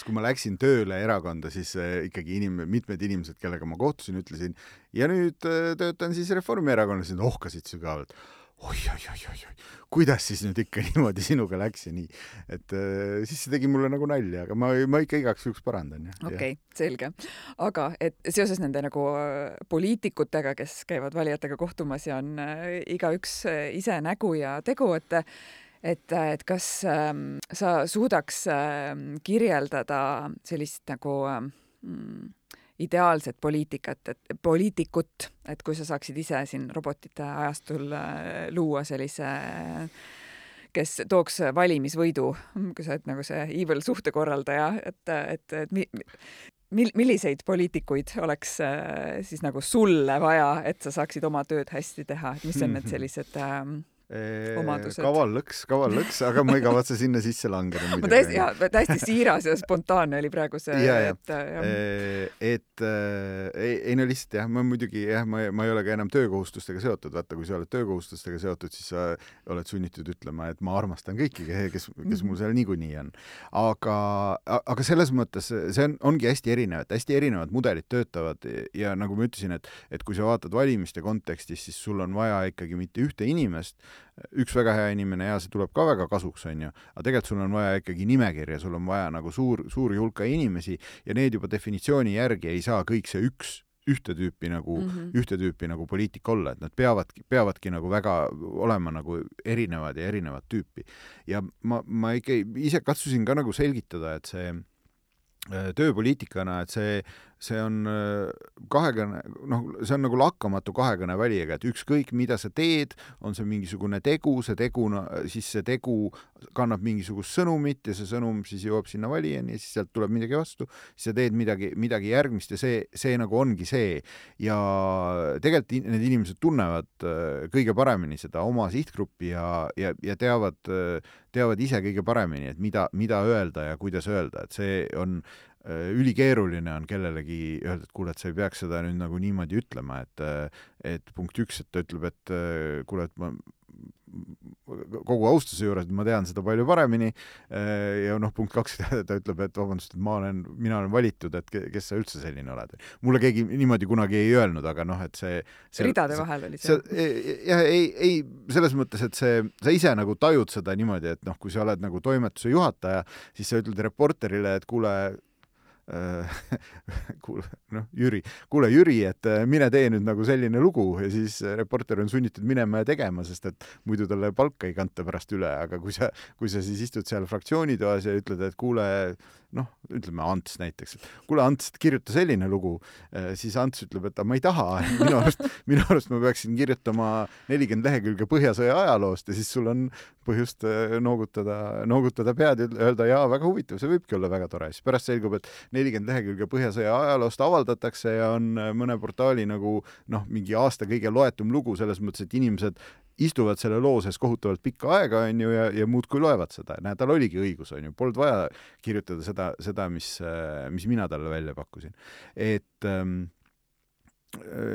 kui ma läksin tööle erakonda, siis ikkagi mitmed inimesed, kellega ma kohtusin, ütlesin, ja nüüd töötan siis Reformierakonnas, ja ohkasid sügavalt. Oi, kuidas siis nüüd ikka niimoodi sinuga läks ja nii. Et siis see tegi mulle nagu nalja, aga ma ikka igaks juhuks parandan. Okei, selge. Aga et seoses nende nagu poliitikutega, kes käivad valijatega kohtumas ja on igaüks ise nägu ja tegu, et kas sa suudaks kirjeldada sellist nagu ideaalset poliitikut, et kui sa saaksid ise siin robotite ajastul luua sellise, kes tooks valimisvõidu, kui sa oled nagu see evil suhtekorraldaja, et milliseid poliitikuid oleks siis nagu sulle vaja, et sa saaksid oma tööd hästi teha, et mis on need sellised omadused. Kaval lõks, aga ma ei kavatse sinna sisse langeda. Täiesti siiras ja spontaanne oli praegu see. Ei no lihtsalt jah, ma muidugi ma ei ole ka enam töökohustustega seotud. Vaata, kui sa oled töökohustustega seotud, siis sa oled sunnitud ütlema, et ma armastan kõiki, kes mul seal niikuinii on. Aga selles mõttes see ongi hästi erinevad mudelid töötavad ja nagu ma ütlesin, et kui sa vaatad valimiste kontekstis, siis sul on vaja ikkagi mitte ühte inimest, üks väga hea inimene ja see tuleb ka väga kasuks, on ju, aga tegelikult sul on vaja ikkagi nimekirja, sul on vaja nagu suuri hulka inimesi ja need juba definitsiooni järgi ei saa kõik see ühte tüüpi nagu poliitik olla, et nad peavadki nagu väga olema nagu erinevad tüüpi. Ja ma ikka ise katsusin ka nagu selgitada, et see tööpoliitikana, et see see on kahekõne, noh, see on nagu lakkamatu kahekõne valijaga, et ükskõik, mida sa teed, on see mingisugune tegu, siis see tegu kannab mingisugust sõnumit ja see sõnum siis jõuab sinna valijani ja siis sealt tuleb midagi vastu, siis sa teed midagi järgmist ja see nagu ongi see. Ja tegelikult need inimesed tunnevad kõige paremini seda oma sihtgruppi ja teavad ise kõige paremini, et mida öelda ja kuidas öelda, et see on ülikeeruline on kellelegi öelda, et kuule, et sa ei peaks seda nüüd nagu niimoodi ütlema, et punkt 1, et ta ütleb, et kuule, et ma kogu austuse juures, ma tean seda palju paremini ja noh, punkt 2, ta ütleb, et vabandust, et mina olen valitud, et kes sa üldse selline oled. Mulle keegi niimoodi kunagi ei öelnud, aga noh, et see ridade vahel oli see. Jah, ei, selles mõttes, et sa ise nagu tajud seda niimoodi, et noh, kui sa oled nagu toimetuse juhataja, siis sa ütled reporterile, et kuule, Jüri, et mine tee nüüd nagu selline lugu ja siis reporter on sunnitud minema ja tegema, sest et muidu talle palka ei kanta pärast üle, aga kui sa siis istud seal fraktsioonitoas ja ütled, et kuule, noh, ütleme Ants näiteks, et kuule Ants, kirjuta selline lugu, siis Ants ütleb, et ma ei taha, minu arust ma peaksin kirjutama 40 lehekülge Põhjasõja ajaloost ja siis sul on põhjust noogutada pead ja öelda, jaa, väga huvitav, see võibki olla väga tore. Siis pärast selgub, et 40 lehekülge Põhjasõja ajaloost avaldatakse ja on mõne portaali nagu noh, mingi aasta kõige loetum lugu selles mõttes, et inimesed istuvad selle loo sees kohutavalt pikka aega, on ju, ja muudkui loevad seda. Näe, tal oligi õigus, on ju. Polnud vaja kirjutada seda, mis mina talle välja pakkusin. Et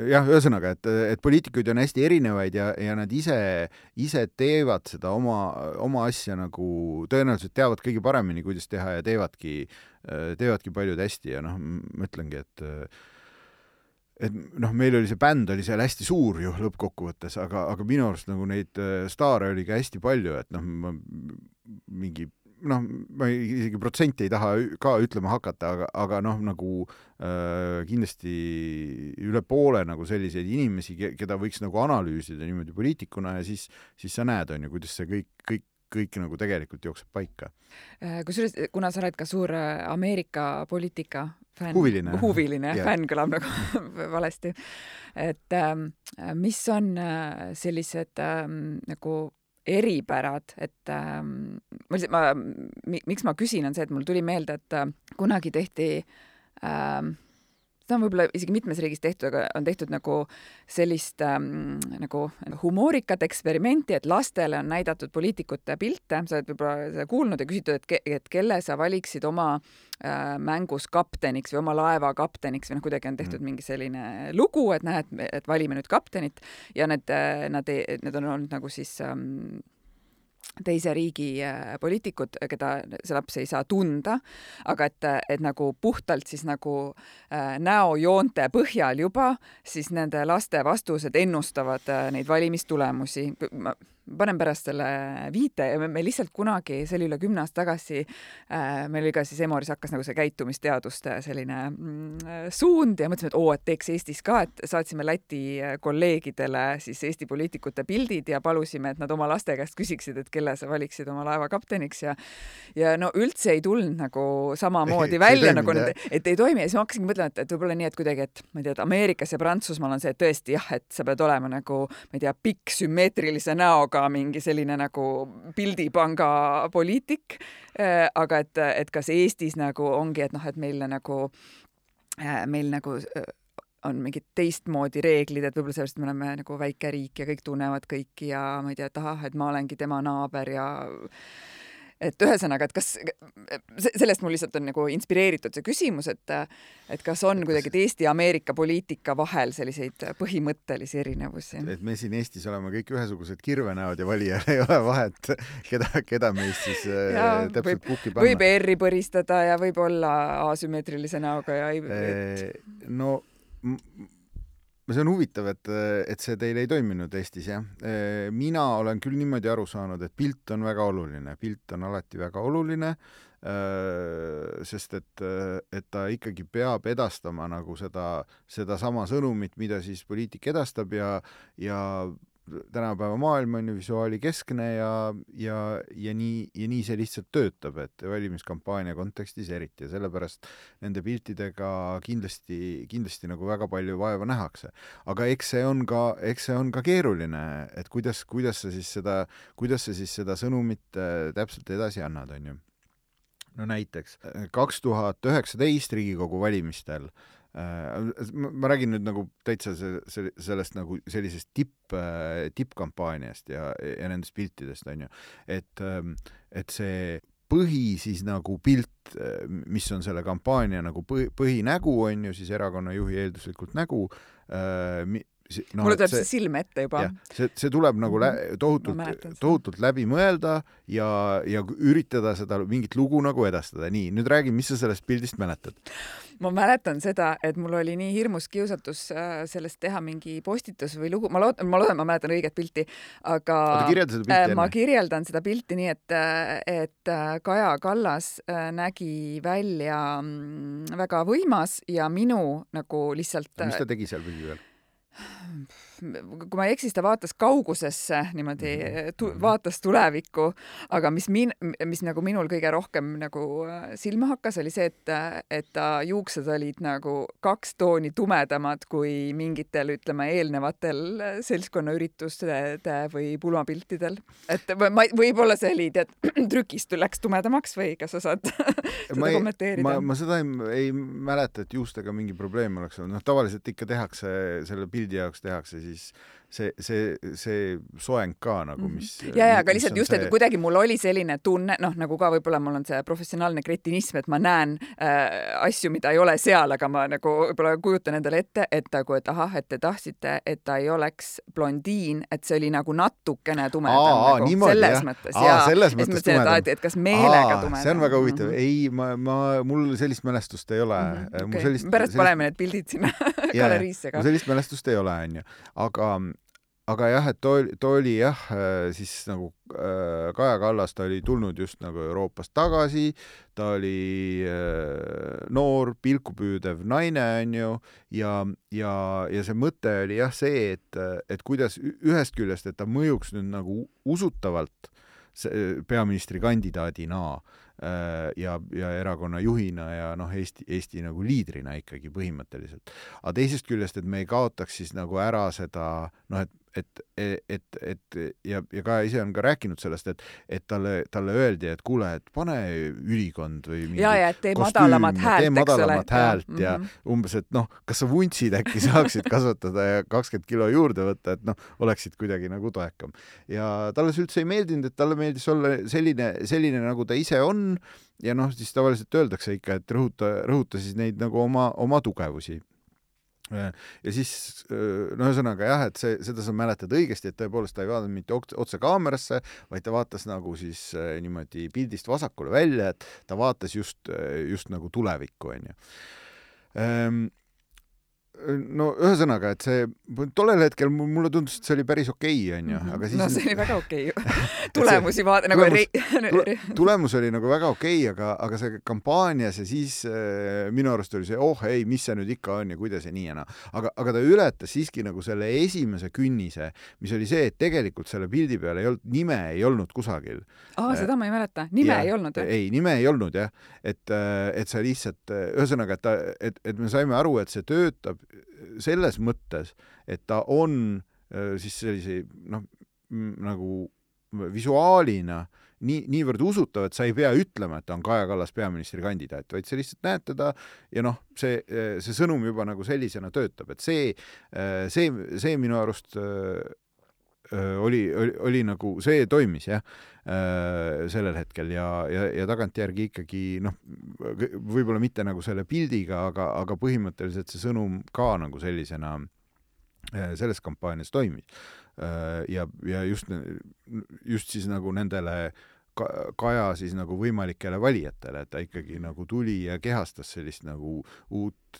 jah, ühesõnaga, et poliitikuid on hästi erinevaid ja nad ise teevad seda oma asja nagu tõenäoliselt teavad kõige paremini, kuidas teha ja teevadki paljud hästi ja noh, ma ütlengi, et noh, meil oli see bänd oli seal hästi suur ju lõppkokkuvõttes, aga minu arust nagu neid staare oli ka hästi palju, et noh, ma isegi protsenti ei taha ka ütlema hakata, aga noh, nagu kindlasti üle poole nagu selliseid inimesi, keda võiks nagu analüüsida niimoodi poliitikuna ja siis sa näed, on ju, kuidas see kõik nagu tegelikult jookseb paika. Kusjuures, kuna sa oled ka suur Ameerika poliitika fänn, huviline fänn kõlab nagu valesti, et mis on sellised nagu eripärad, et miks ma küsin, on see, et mul tuli meelde, et kunagi tehti seda on võib-olla isegi mitmes riigis tehtud, aga on tehtud nagu sellist nagu humoorikat eksperimenti, et lastele on näidatud poliitikute pilte, sa oled võib-olla seda kuulnud ja küsitud, et kelle sa valiksid oma mängus kapteniks või oma laeva kapteniks või noh, kuidagi on tehtud mingi selline lugu, et näed, et valime nüüd kaptenit ja need on olnud nagu siis teise riigi poliitikud, keda see laps ei saa tunda, aga et nagu puhtalt siis nagu näojoonte põhjal juba, siis nende laste vastused ennustavad neid valimistulemusi. Ma panen pärast selle viite ja me lihtsalt kunagi, see oli üle 10 aasta tagasi, meil oli ka siis Emoris hakkas nagu see käitumisteaduste selline suund ja mõtlesime, et teeks Eestis ka, et saatsime Läti kolleegidele siis Eesti poliitikute pildid ja palusime, et nad oma laste käest küsiksid, et kelle sa valiksid oma laeva kapteniks ja no üldse ei tulnud nagu samamoodi välja, nagu et ei toimi ja siis ma hakkasingi mõtlema, et võib-olla nii, et kuidagi, et ma ei tea, et Ameerikas ja Prantsusmaal on see tõesti jah, et sa pead olema nagu, ma ei tea, pikk sümmeetrilise näoga mingi selline nagu pildipanga poliitik, aga et kas Eestis nagu ongi, et noh, et meil nagu on mingid teistmoodi reeglid, et võib-olla sellest me oleme nagu väike riik ja kõik tunnevad kõiki ja ma ei tea, et ma olengi tema naaber ja et ühesõnaga, et kas sellest mul lihtsalt on nagu inspireeritud see küsimus, et kas on kuidagi Eesti ja Ameerika poliitika vahel selliseid põhimõttelisi erinevusi? Et me siin Eestis oleme kõik ühesugused kirvenäod ja valijal ei ole vahet, keda meist siis täpselt kukki panna. Võib R-i põristada ja võib olla asümmeetrilise näoga ja no see on huvitav, et see teil ei toiminud Eestis, jah. Mina olen küll niimoodi aru saanud, et pilt on väga oluline. Pilt on alati väga oluline, sest et ta ikkagi peab edastama nagu seda sama sõnumit, mida siis poliitik edastab ja tänapäeva maailm on ju visuaalikeskne ja nii see lihtsalt töötab, et valimiskampaania kontekstis eriti ja sellepärast nende piltidega kindlasti nagu väga palju vaeva nähakse. Aga eks see on ka keeruline, et kuidas sa siis seda sõnumit täpselt edasi annad, on ju. No näiteks 2019 Riigikogu valimistel ma räägin nüüd nagu täitsa sellest nagu sellisest tippkampaaniast ja nendest piltidest, on ju, et see siis nagu pilt, mis on selle kampaania nagu põhinägu, on ju, siis erakonna juhi eelduslikult nägu, mulle tuleb see silme ette juba. See tuleb nagu tohutult läbi mõelda ja üritada seda mingit lugu nagu edastada. Nii, nüüd räägi, mis sa sellest pildist mäletad? Ma mäletan seda, et mul oli nii hirmus kiusatus sellest teha mingi postitus või lugu. Ma loodan, ma mäletan õiget pilti, aga ma kirjeldan seda pilti nii, et Kaja Kallas nägi välja väga võimas ja minu nagu lihtsalt... Mis ta tegi seal pildi veel? Kui ma ei eksi, ta vaatas kaugusesse niimoodi, vaatas tulevikku, aga mis nagu minul kõige rohkem nagu silma hakkas, oli see, et ta juuksed olid nagu 2 tooni tumedamad kui mingitel, ütleme, eelnevatel seltskonnaüritustel või pulmapiltidel. Et võib-olla see oli, trükist läks tumedamaks või kas sa saad seda kommenteerida? Ma seda ei mäleta, et juustega mingi probleem oleks olnud. No, tavaliselt ikka tehakse selle pildi jaoks tehakse siis see soeng ka nagu, mis... aga lihtsalt just, et kuidagi mul oli selline tunne, nagu ka võib-olla mul on see professionaalne kretinism, et ma näen asju, mida ei ole seal, aga ma nagu võib-olla kujutan endale ette, et ahah, et te tahtsite, et ta ei oleks blondiin, et see oli nagu natukene tumedam. Selles mõttes. Selles mõttes tumedam. Et kas meelega tumedam. See on väga huvitav. Ei, mul sellist mälestust ei ole. Pärast paneme need pildid sinna galeriisse ka. Sellist mälestust ei ole, on ju. Aga jah, et ta oli jah, siis nagu Kaja Kallas, ta oli tulnud just nagu Euroopast tagasi, ta oli noor, pilkupüüdev naine, on ju, ja see mõte oli jah see, et kuidas ühest küljest, et ta mõjuks nüüd nagu usutavalt peaministrikandidaadina ja erakonna juhina ja Eesti nagu liidrina ikkagi põhimõtteliselt. Aga teisest küljest, et me ei kaotaks siis nagu ära seda, ja ka ise on ka rääkinud sellest, et talle öeldi, et kuule, et pane ülikond või mingi et tee madalamat häält ja umbes, et kas sa vuntsid äkki saaksid kasvatada ja 20 kilo juurde võtta, et oleksid kuidagi nagu toekam. Ja talle see üldse ei meeldinud, et talle meeldis olla selline nagu ta ise on ja siis tavaliselt öeldakse ikka, et rõhuta siis neid nagu oma tugevusi. Ja siis, ühesõnaga jah, et seda sa mäletad õigesti, et tõepoolest ta ei vaadanud mitte otse kaamerasse, vaid ta vaatas nagu siis niimoodi pildist vasakule välja, et ta vaatas just nagu tulevikku, on ju. No ühesõnaga, et see tollel hetkel mulle tundus, et see oli päris okei, on ju, aga siis... No see oli väga okei. Tulemus oli nagu väga okei, aga see kampaanias ja siis minu arust oli see, ei, mis see nüüd ikka on ja kuidas ja nii ja aga ta ületas siiski nagu selle esimese künnise, mis oli see, et tegelikult selle pildi peal nime ei olnud kusagil. Seda ma ei mäleta. Nime ei olnud, jah? Ei, nime ei olnud, jah. Et see lihtsalt, ühesõnaga, et me saime aru, et see töötab selles mõttes, et ta on siis sellise nagu visuaalina niivõrd usutav, et sa ei pea ütlema, et ta on Kaja Kallas peaministrikandidaat, vaid sa lihtsalt näed teda ja see sõnum juba nagu sellisena töötab, et see minu arust oli nagu, see toimis jah sellel hetkel ja tagantjärgi ikkagi võib-olla mitte nagu selle pildiga, aga põhimõtteliselt see sõnum ka nagu sellisena selles kampaanias toimis. Ja just siis nagu nendele Kaja siis nagu võimalikele valijatele, et ta ikkagi nagu tuli ja kehastas sellist nagu uut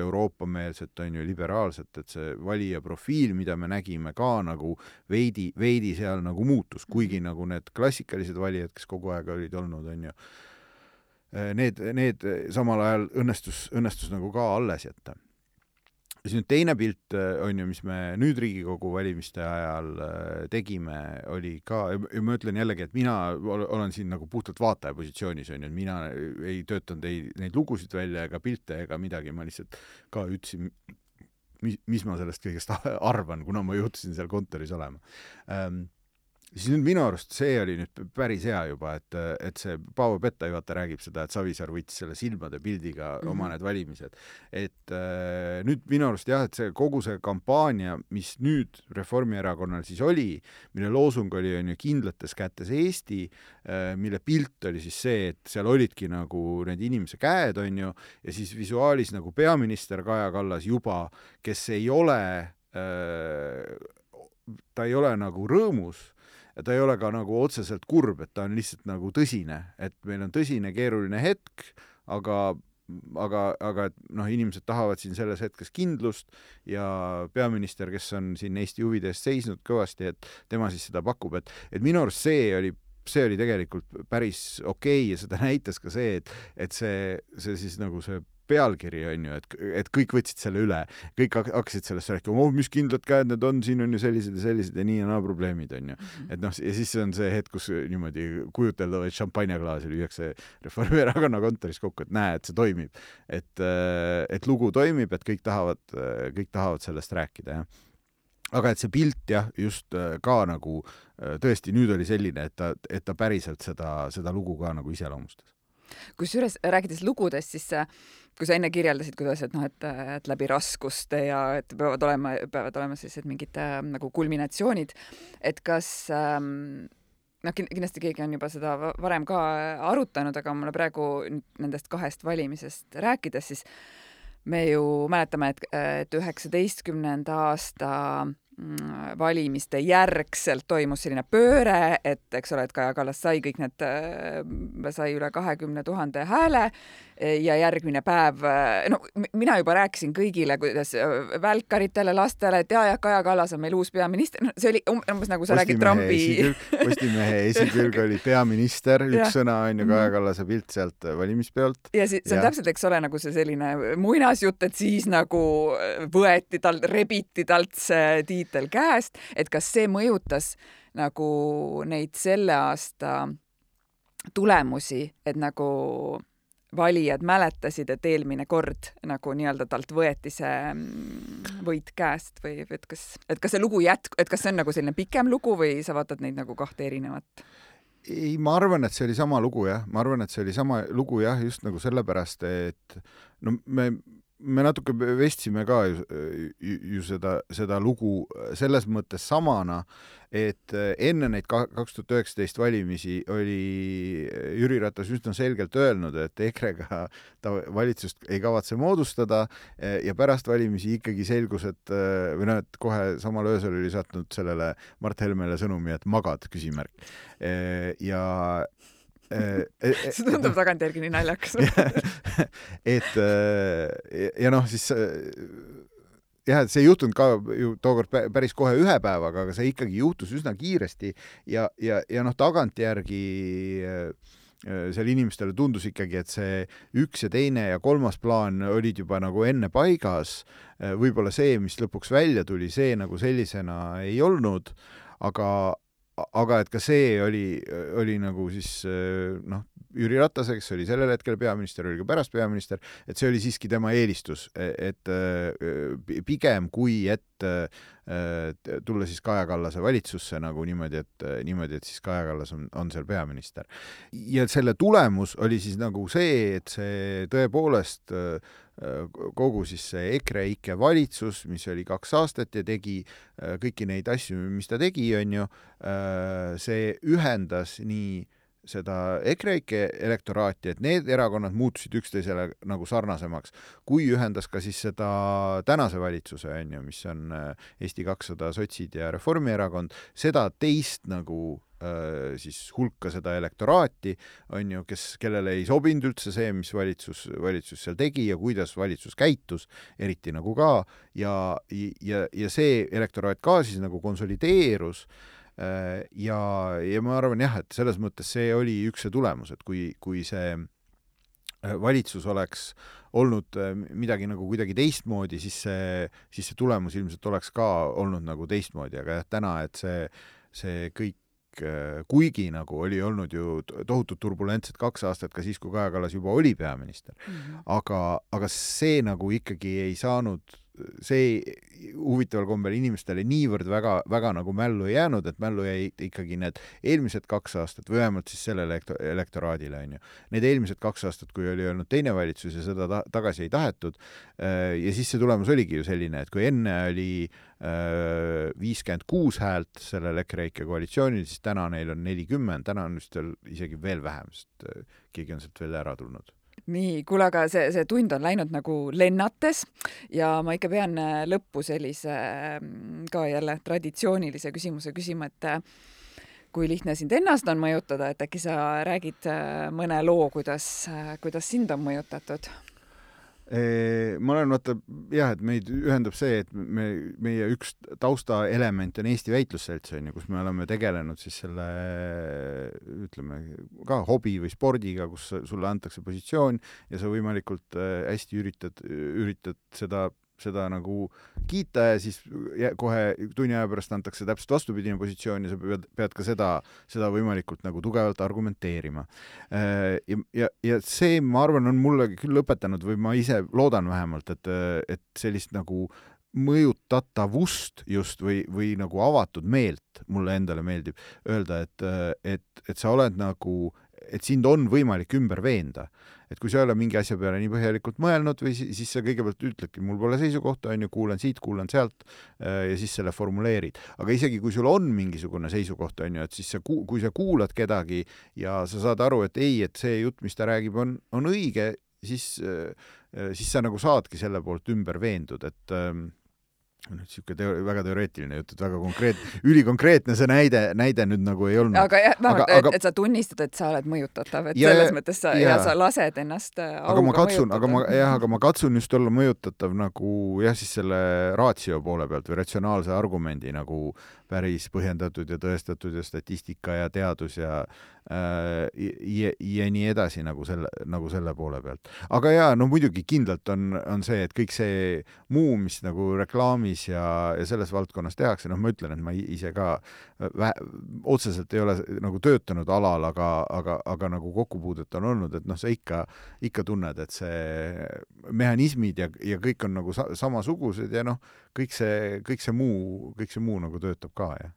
Euroopa-meelset, on ju, liberaalset, et see valija profiil, mida me nägime ka nagu veidi seal nagu muutus, kuigi nagu need klassikalised valijad, kes kogu aeg olid olnud, on ju, need samal ajal õnnestus nagu ka alles jätta. siis nüüd teine pilt on ju, mis me nüüd Riigikogu valimiste ajal tegime, oli ka, ja ma ütlen jällegi, et mina olen siin nagu puhtalt vaataja positsioonis, on ju, et mina ei töötanud neid lugusid välja ega pilte ega midagi, ma lihtsalt ka ütlesin, mis ma sellest kõigest arvan, kuna ma juhtusin seal kontoris olema. Siis nüüd minu arust see oli nüüd päris hea juba, et see Paavo Pettai vaata räägib seda, et Savisaar võttis selle silmade pildiga oma need valimised. Et nüüd minu arust jah, et see kogu see kampaania, mis nüüd Reformierakonnal siis oli, mille loosung oli on ju kindlates kätes Eesti, mille pilt oli siis see, et seal olidki nagu need inimese käed on ju, ja siis visuaalis nagu peaminister Kaja Kallas juba, kes ei ole, ta ei ole nagu rõõmus, ja ta ei ole ka nagu otseselt kurb, et ta on lihtsalt nagu tõsine, et meil on tõsine keeruline hetk, aga et noh, inimesed tahavad siin selles hetkes kindlust ja peaminister, kes on siin Eesti huvide eest seisnud kõvasti, et tema siis seda pakub, et minu arust see oli tegelikult päris okei ja seda näitas ka see, et see siis nagu see pealkiri on ju, et kõik võtsid selle üle, kõik hakkasid sellest rääkima, mis kindlad käed need on, siin on ju sellised ja nii ja naa probleemid on ju. Et noh, ja siis on see hetk, kus niimoodi kujuteldavaid šampanjaklaasi lüüakse Reformierakonna kontoris kokku, et näe, et see toimib. Et lugu toimib, et kõik tahavad sellest rääkida, jah. Aga et see pilt jah, just ka nagu tõesti nüüd oli selline, et ta päriselt seda lugu ka nagu iseloomustas. Kusjuures rääkides lugudest, siis kui sa enne kirjeldasid, kuidas, et läbi raskuste ja et peavad olema sellised mingid nagu kulminatsioonid, et kas kindlasti keegi on juba seda varem ka arutanud, aga mulle praegu nendest 2 valimisest rääkides, siis me ju mäletame, et 19 aasta valimiste järgselt toimus selline pööre, et eks ole, et Kaja Kallas sai kõik need, sai üle 20 000 hääle ja järgmine päev, no mina juba rääkisin kõigile, kuidas välkaritele, lastele, et ja Kaja Kallas on meil uus peaminister, no, see oli umbes nagu sa räägid Trumpi. Postimehe esikülg oli peaminister, üks sõna on ju Kaja Kallase pilt sealt valimispeolt. Ja see on täpselt, eks ole, nagu see selline muinasjutt, et siis nagu rebiti talt see tiitel käest, et kas see mõjutas nagu neid selle aasta tulemusi, et nagu valijad mäletasid, et eelmine kord nagu nii-öelda talt võeti see võit käest või et kas see lugu et kas see on nagu selline pikem lugu või sa vaatad neid nagu 2 erinevat? Ei, ma arvan, et see oli sama lugu, jah. Ma arvan, et see oli sama lugu, jah, just nagu sellepärast, et no me natuke vestsime ka ju seda lugu selles mõttes samana, et enne neid 2019 valimisi oli Jüri Ratas üsna selgelt öelnud, et EKRE-ga ta valitsust ei kavatse moodustada ja pärast valimisi ikkagi selgus, et kohe samal öösel oli saatnud sellele Mart Helmele sõnumi, et magad, küsimärk. See tundub tagantjärgi nii naljakas. Ja noh, siis jah, et see ei juhtunud ka ju tookord päris kohe 1 päevaga, aga see ikkagi juhtus üsna kiiresti ja noh, tagantjärgi seal inimestele tundus ikkagi, et see 1 ja 2 ja 3. plaan olid juba nagu enne paigas. Võib-olla see, mis lõpuks välja tuli, see nagu sellisena ei olnud, aga et ka see oli nagu siis noh, Jüri Ratase, kes oli sellel hetkel peaminister, oli ka pärast peaminister, et see oli siiski tema eelistus, et pigem kui et tulla siis Kaja Kallase valitsusse nagu niimoodi, et siis Kaja Kallas on seal peaminister. Ja selle tulemus oli siis nagu see, et see tõepoolest kogu siis see EKRE-ike valitsus, mis oli 2 aastat ja tegi kõiki neid asju, mis ta tegi, on ju, see ühendas nii seda EKRE-ike elektoraati, et need erakonnad muutusid üksteisele nagu sarnasemaks, kui ühendas ka siis seda tänase valitsuse, on ju, mis on Eesti 200, Sotsid ja Reformierakond, seda teist nagu siis hulka seda elektoraati, on ju, kellele ei sobinud üldse see, mis valitsus seal tegi ja kuidas valitsus käitus, eriti nagu ka, ja see elektoraat ka siis nagu konsolideerus ja ma arvan jah, et selles mõttes see oli üks see tulemus, et kui see valitsus oleks olnud midagi nagu kuidagi teistmoodi, siis see tulemus ilmselt oleks ka olnud nagu teistmoodi, aga täna, et see kõik, kuigi nagu oli olnud ju tohutult turbulentset 2 aastat ka siis, kui Kaja Kallas juba oli peaminister, aga see nagu ikkagi ei saanud, see huvitaval kombel inimestele niivõrd väga nagu mällu ei jäänud, et mällu jäi ikkagi need eelmised 2 aastat või vähemalt siis sellele elektoraadile, on ju. Need eelmised 2 aastat, kui oli olnud teine valitsus ja seda tagasi ei tahetud, ja siis see tulemus oligi ju selline, et kui enne oli 56 häält sellel EKREIKE koalitsioonil, siis täna neil on 40, täna on vist isegi veel vähem, sest keegi on sealt veel ära tulnud. Nii, kuule, aga see tund on läinud nagu lennates ja ma ikka pean lõppu sellise ka jälle traditsioonilise küsimuse küsima, et kui lihtne sind ennast on mõjutada, et äkki sa räägid mõne loo, kuidas sind on mõjutatud? Ma olen vaata, jah, et meid ühendab see, et meie üks taustaelement on Eesti Väitlusselts, kus me oleme tegelenud siis selle, ütleme, ka hobi või spordiga, kus sulle antakse positsioon ja sa võimalikult hästi üritad seda nagu kiita ja siis kohe tunni aja pärast antakse täpselt vastupidine positsioon ja sa pead ka seda võimalikult nagu tugevalt argumenteerima. Ja see, ma arvan, on mulle küll õpetanud või ma ise loodan vähemalt, et sellist nagu mõjutatavust just või nagu avatud meelt mulle endale meeldib öelda, et sa oled nagu, et sind on võimalik ümber veenda. Et kui sa ei ole mingi asja peale nii põhjalikult mõelnud või siis sa kõigepealt ütledki, mul pole seisukohta, on ju, kuulen siit, kuulen sealt ja siis selle formuleerid. Aga isegi kui sul on mingisugune seisukoht, on ju, et siis kui sa kuulad kedagi ja sa saad aru, et ei, et see jutt, mis ta räägib, on õige, siis sa nagu saadki selle poolt ümber veendud, et nüüd siuke väga teoreetiline jutt, et väga ülikonkreetne see näide nüüd nagu ei olnud. Aga jah, et sa tunnistad, et sa oled mõjutatav, et selles mõttes ja sa lased ennast mõjutada. Aga ma katsun just olla mõjutatav nagu jah, siis selle ratio poole pealt või ratsionaalse argumendi nagu päris põhjendatud ja tõestatud ja statistika ja teadus ja nii edasi nagu selle poole pealt. Aga jaa, no muidugi kindlalt on see, et kõik see muu, mis nagu reklaamis ja selles valdkonnas tehakse, ma ütlen, et ma ise ka otseselt ei ole nagu töötanud alal, aga nagu kokkupuudet on olnud, et sa ikka tunned, et see mehhanismid ja kõik on nagu samasugused ja kõik see muu nagu töötab ka, jah.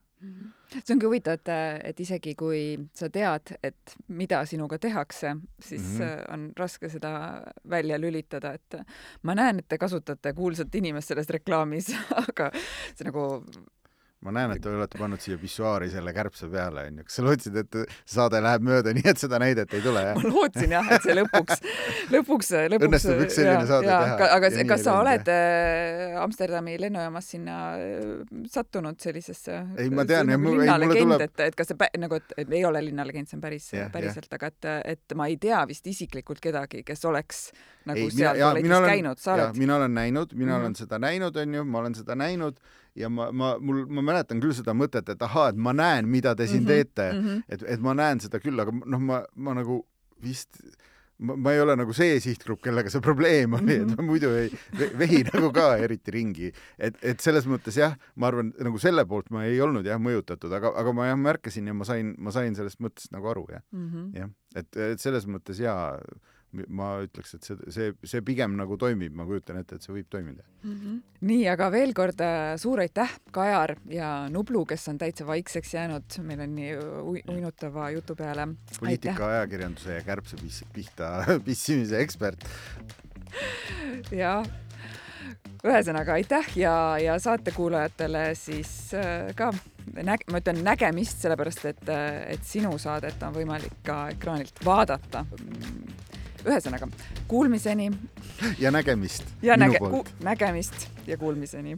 See ongi huvitav, et isegi kui sa tead, et mida sinuga tehakse, siis on raske seda välja lülitada, et ma näen, et te kasutate kuulsat inimest selles reklaamis, aga see nagu ma näen, et te olete pannud siia pissuaari selle kärbse peale, on ju. Kas sa lootsid, et saade läheb mööda nii, et seda näidet ei tule, jah? Ma lootsin, jah, et see lõpuks õnnestub üks selline saade teha. Aga kas sa oled Amsterdami lennujaamas sinna sattunud sellisesse linnalegend, et kas see nagu, et ei ole linnalegend, see on päriselt, aga et ma ei tea vist isiklikult kedagi, kes oleks nagu seal tualetis käinud. Mina olen seda näinud, on ju, ma olen seda näinud ja ma mäletan küll seda mõtet, et et ma näen, mida te siin teete, et ma näen seda küll, aga ma nagu vist ma ei ole nagu see sihtgrupp, kellega see probleem oli, et ma muidu ei vehi nagu ka eriti ringi. Et selles mõttes jah, ma arvan, nagu selle poolt ma ei olnud jah mõjutatud, aga ma jah märkasin ja ma sain sellest mõttest nagu aru, jah. Jah. Et selles mõttes jaa, ma ütleks, et see pigem nagu toimib, ma kujutan ette, et see võib toimida. Nii, aga veel kord suur aitäh, Kajar ja Nublu, kes on täitsa vaikseks jäänud. Meil on nii uinutava jutu peale. Poliitika, ajakirjanduse ja kärbse pihta pissimise ekspert. Ja ühesõnaga aitäh ja saatekuulajatele siis ka ma ütlen nägemist, sellepärast et sinu saadet on võimalik ka ekraanilt vaadata. Ühesõnaga, kuulmiseni. Ja nägemist. Ja nägemist ja kuulmiseni.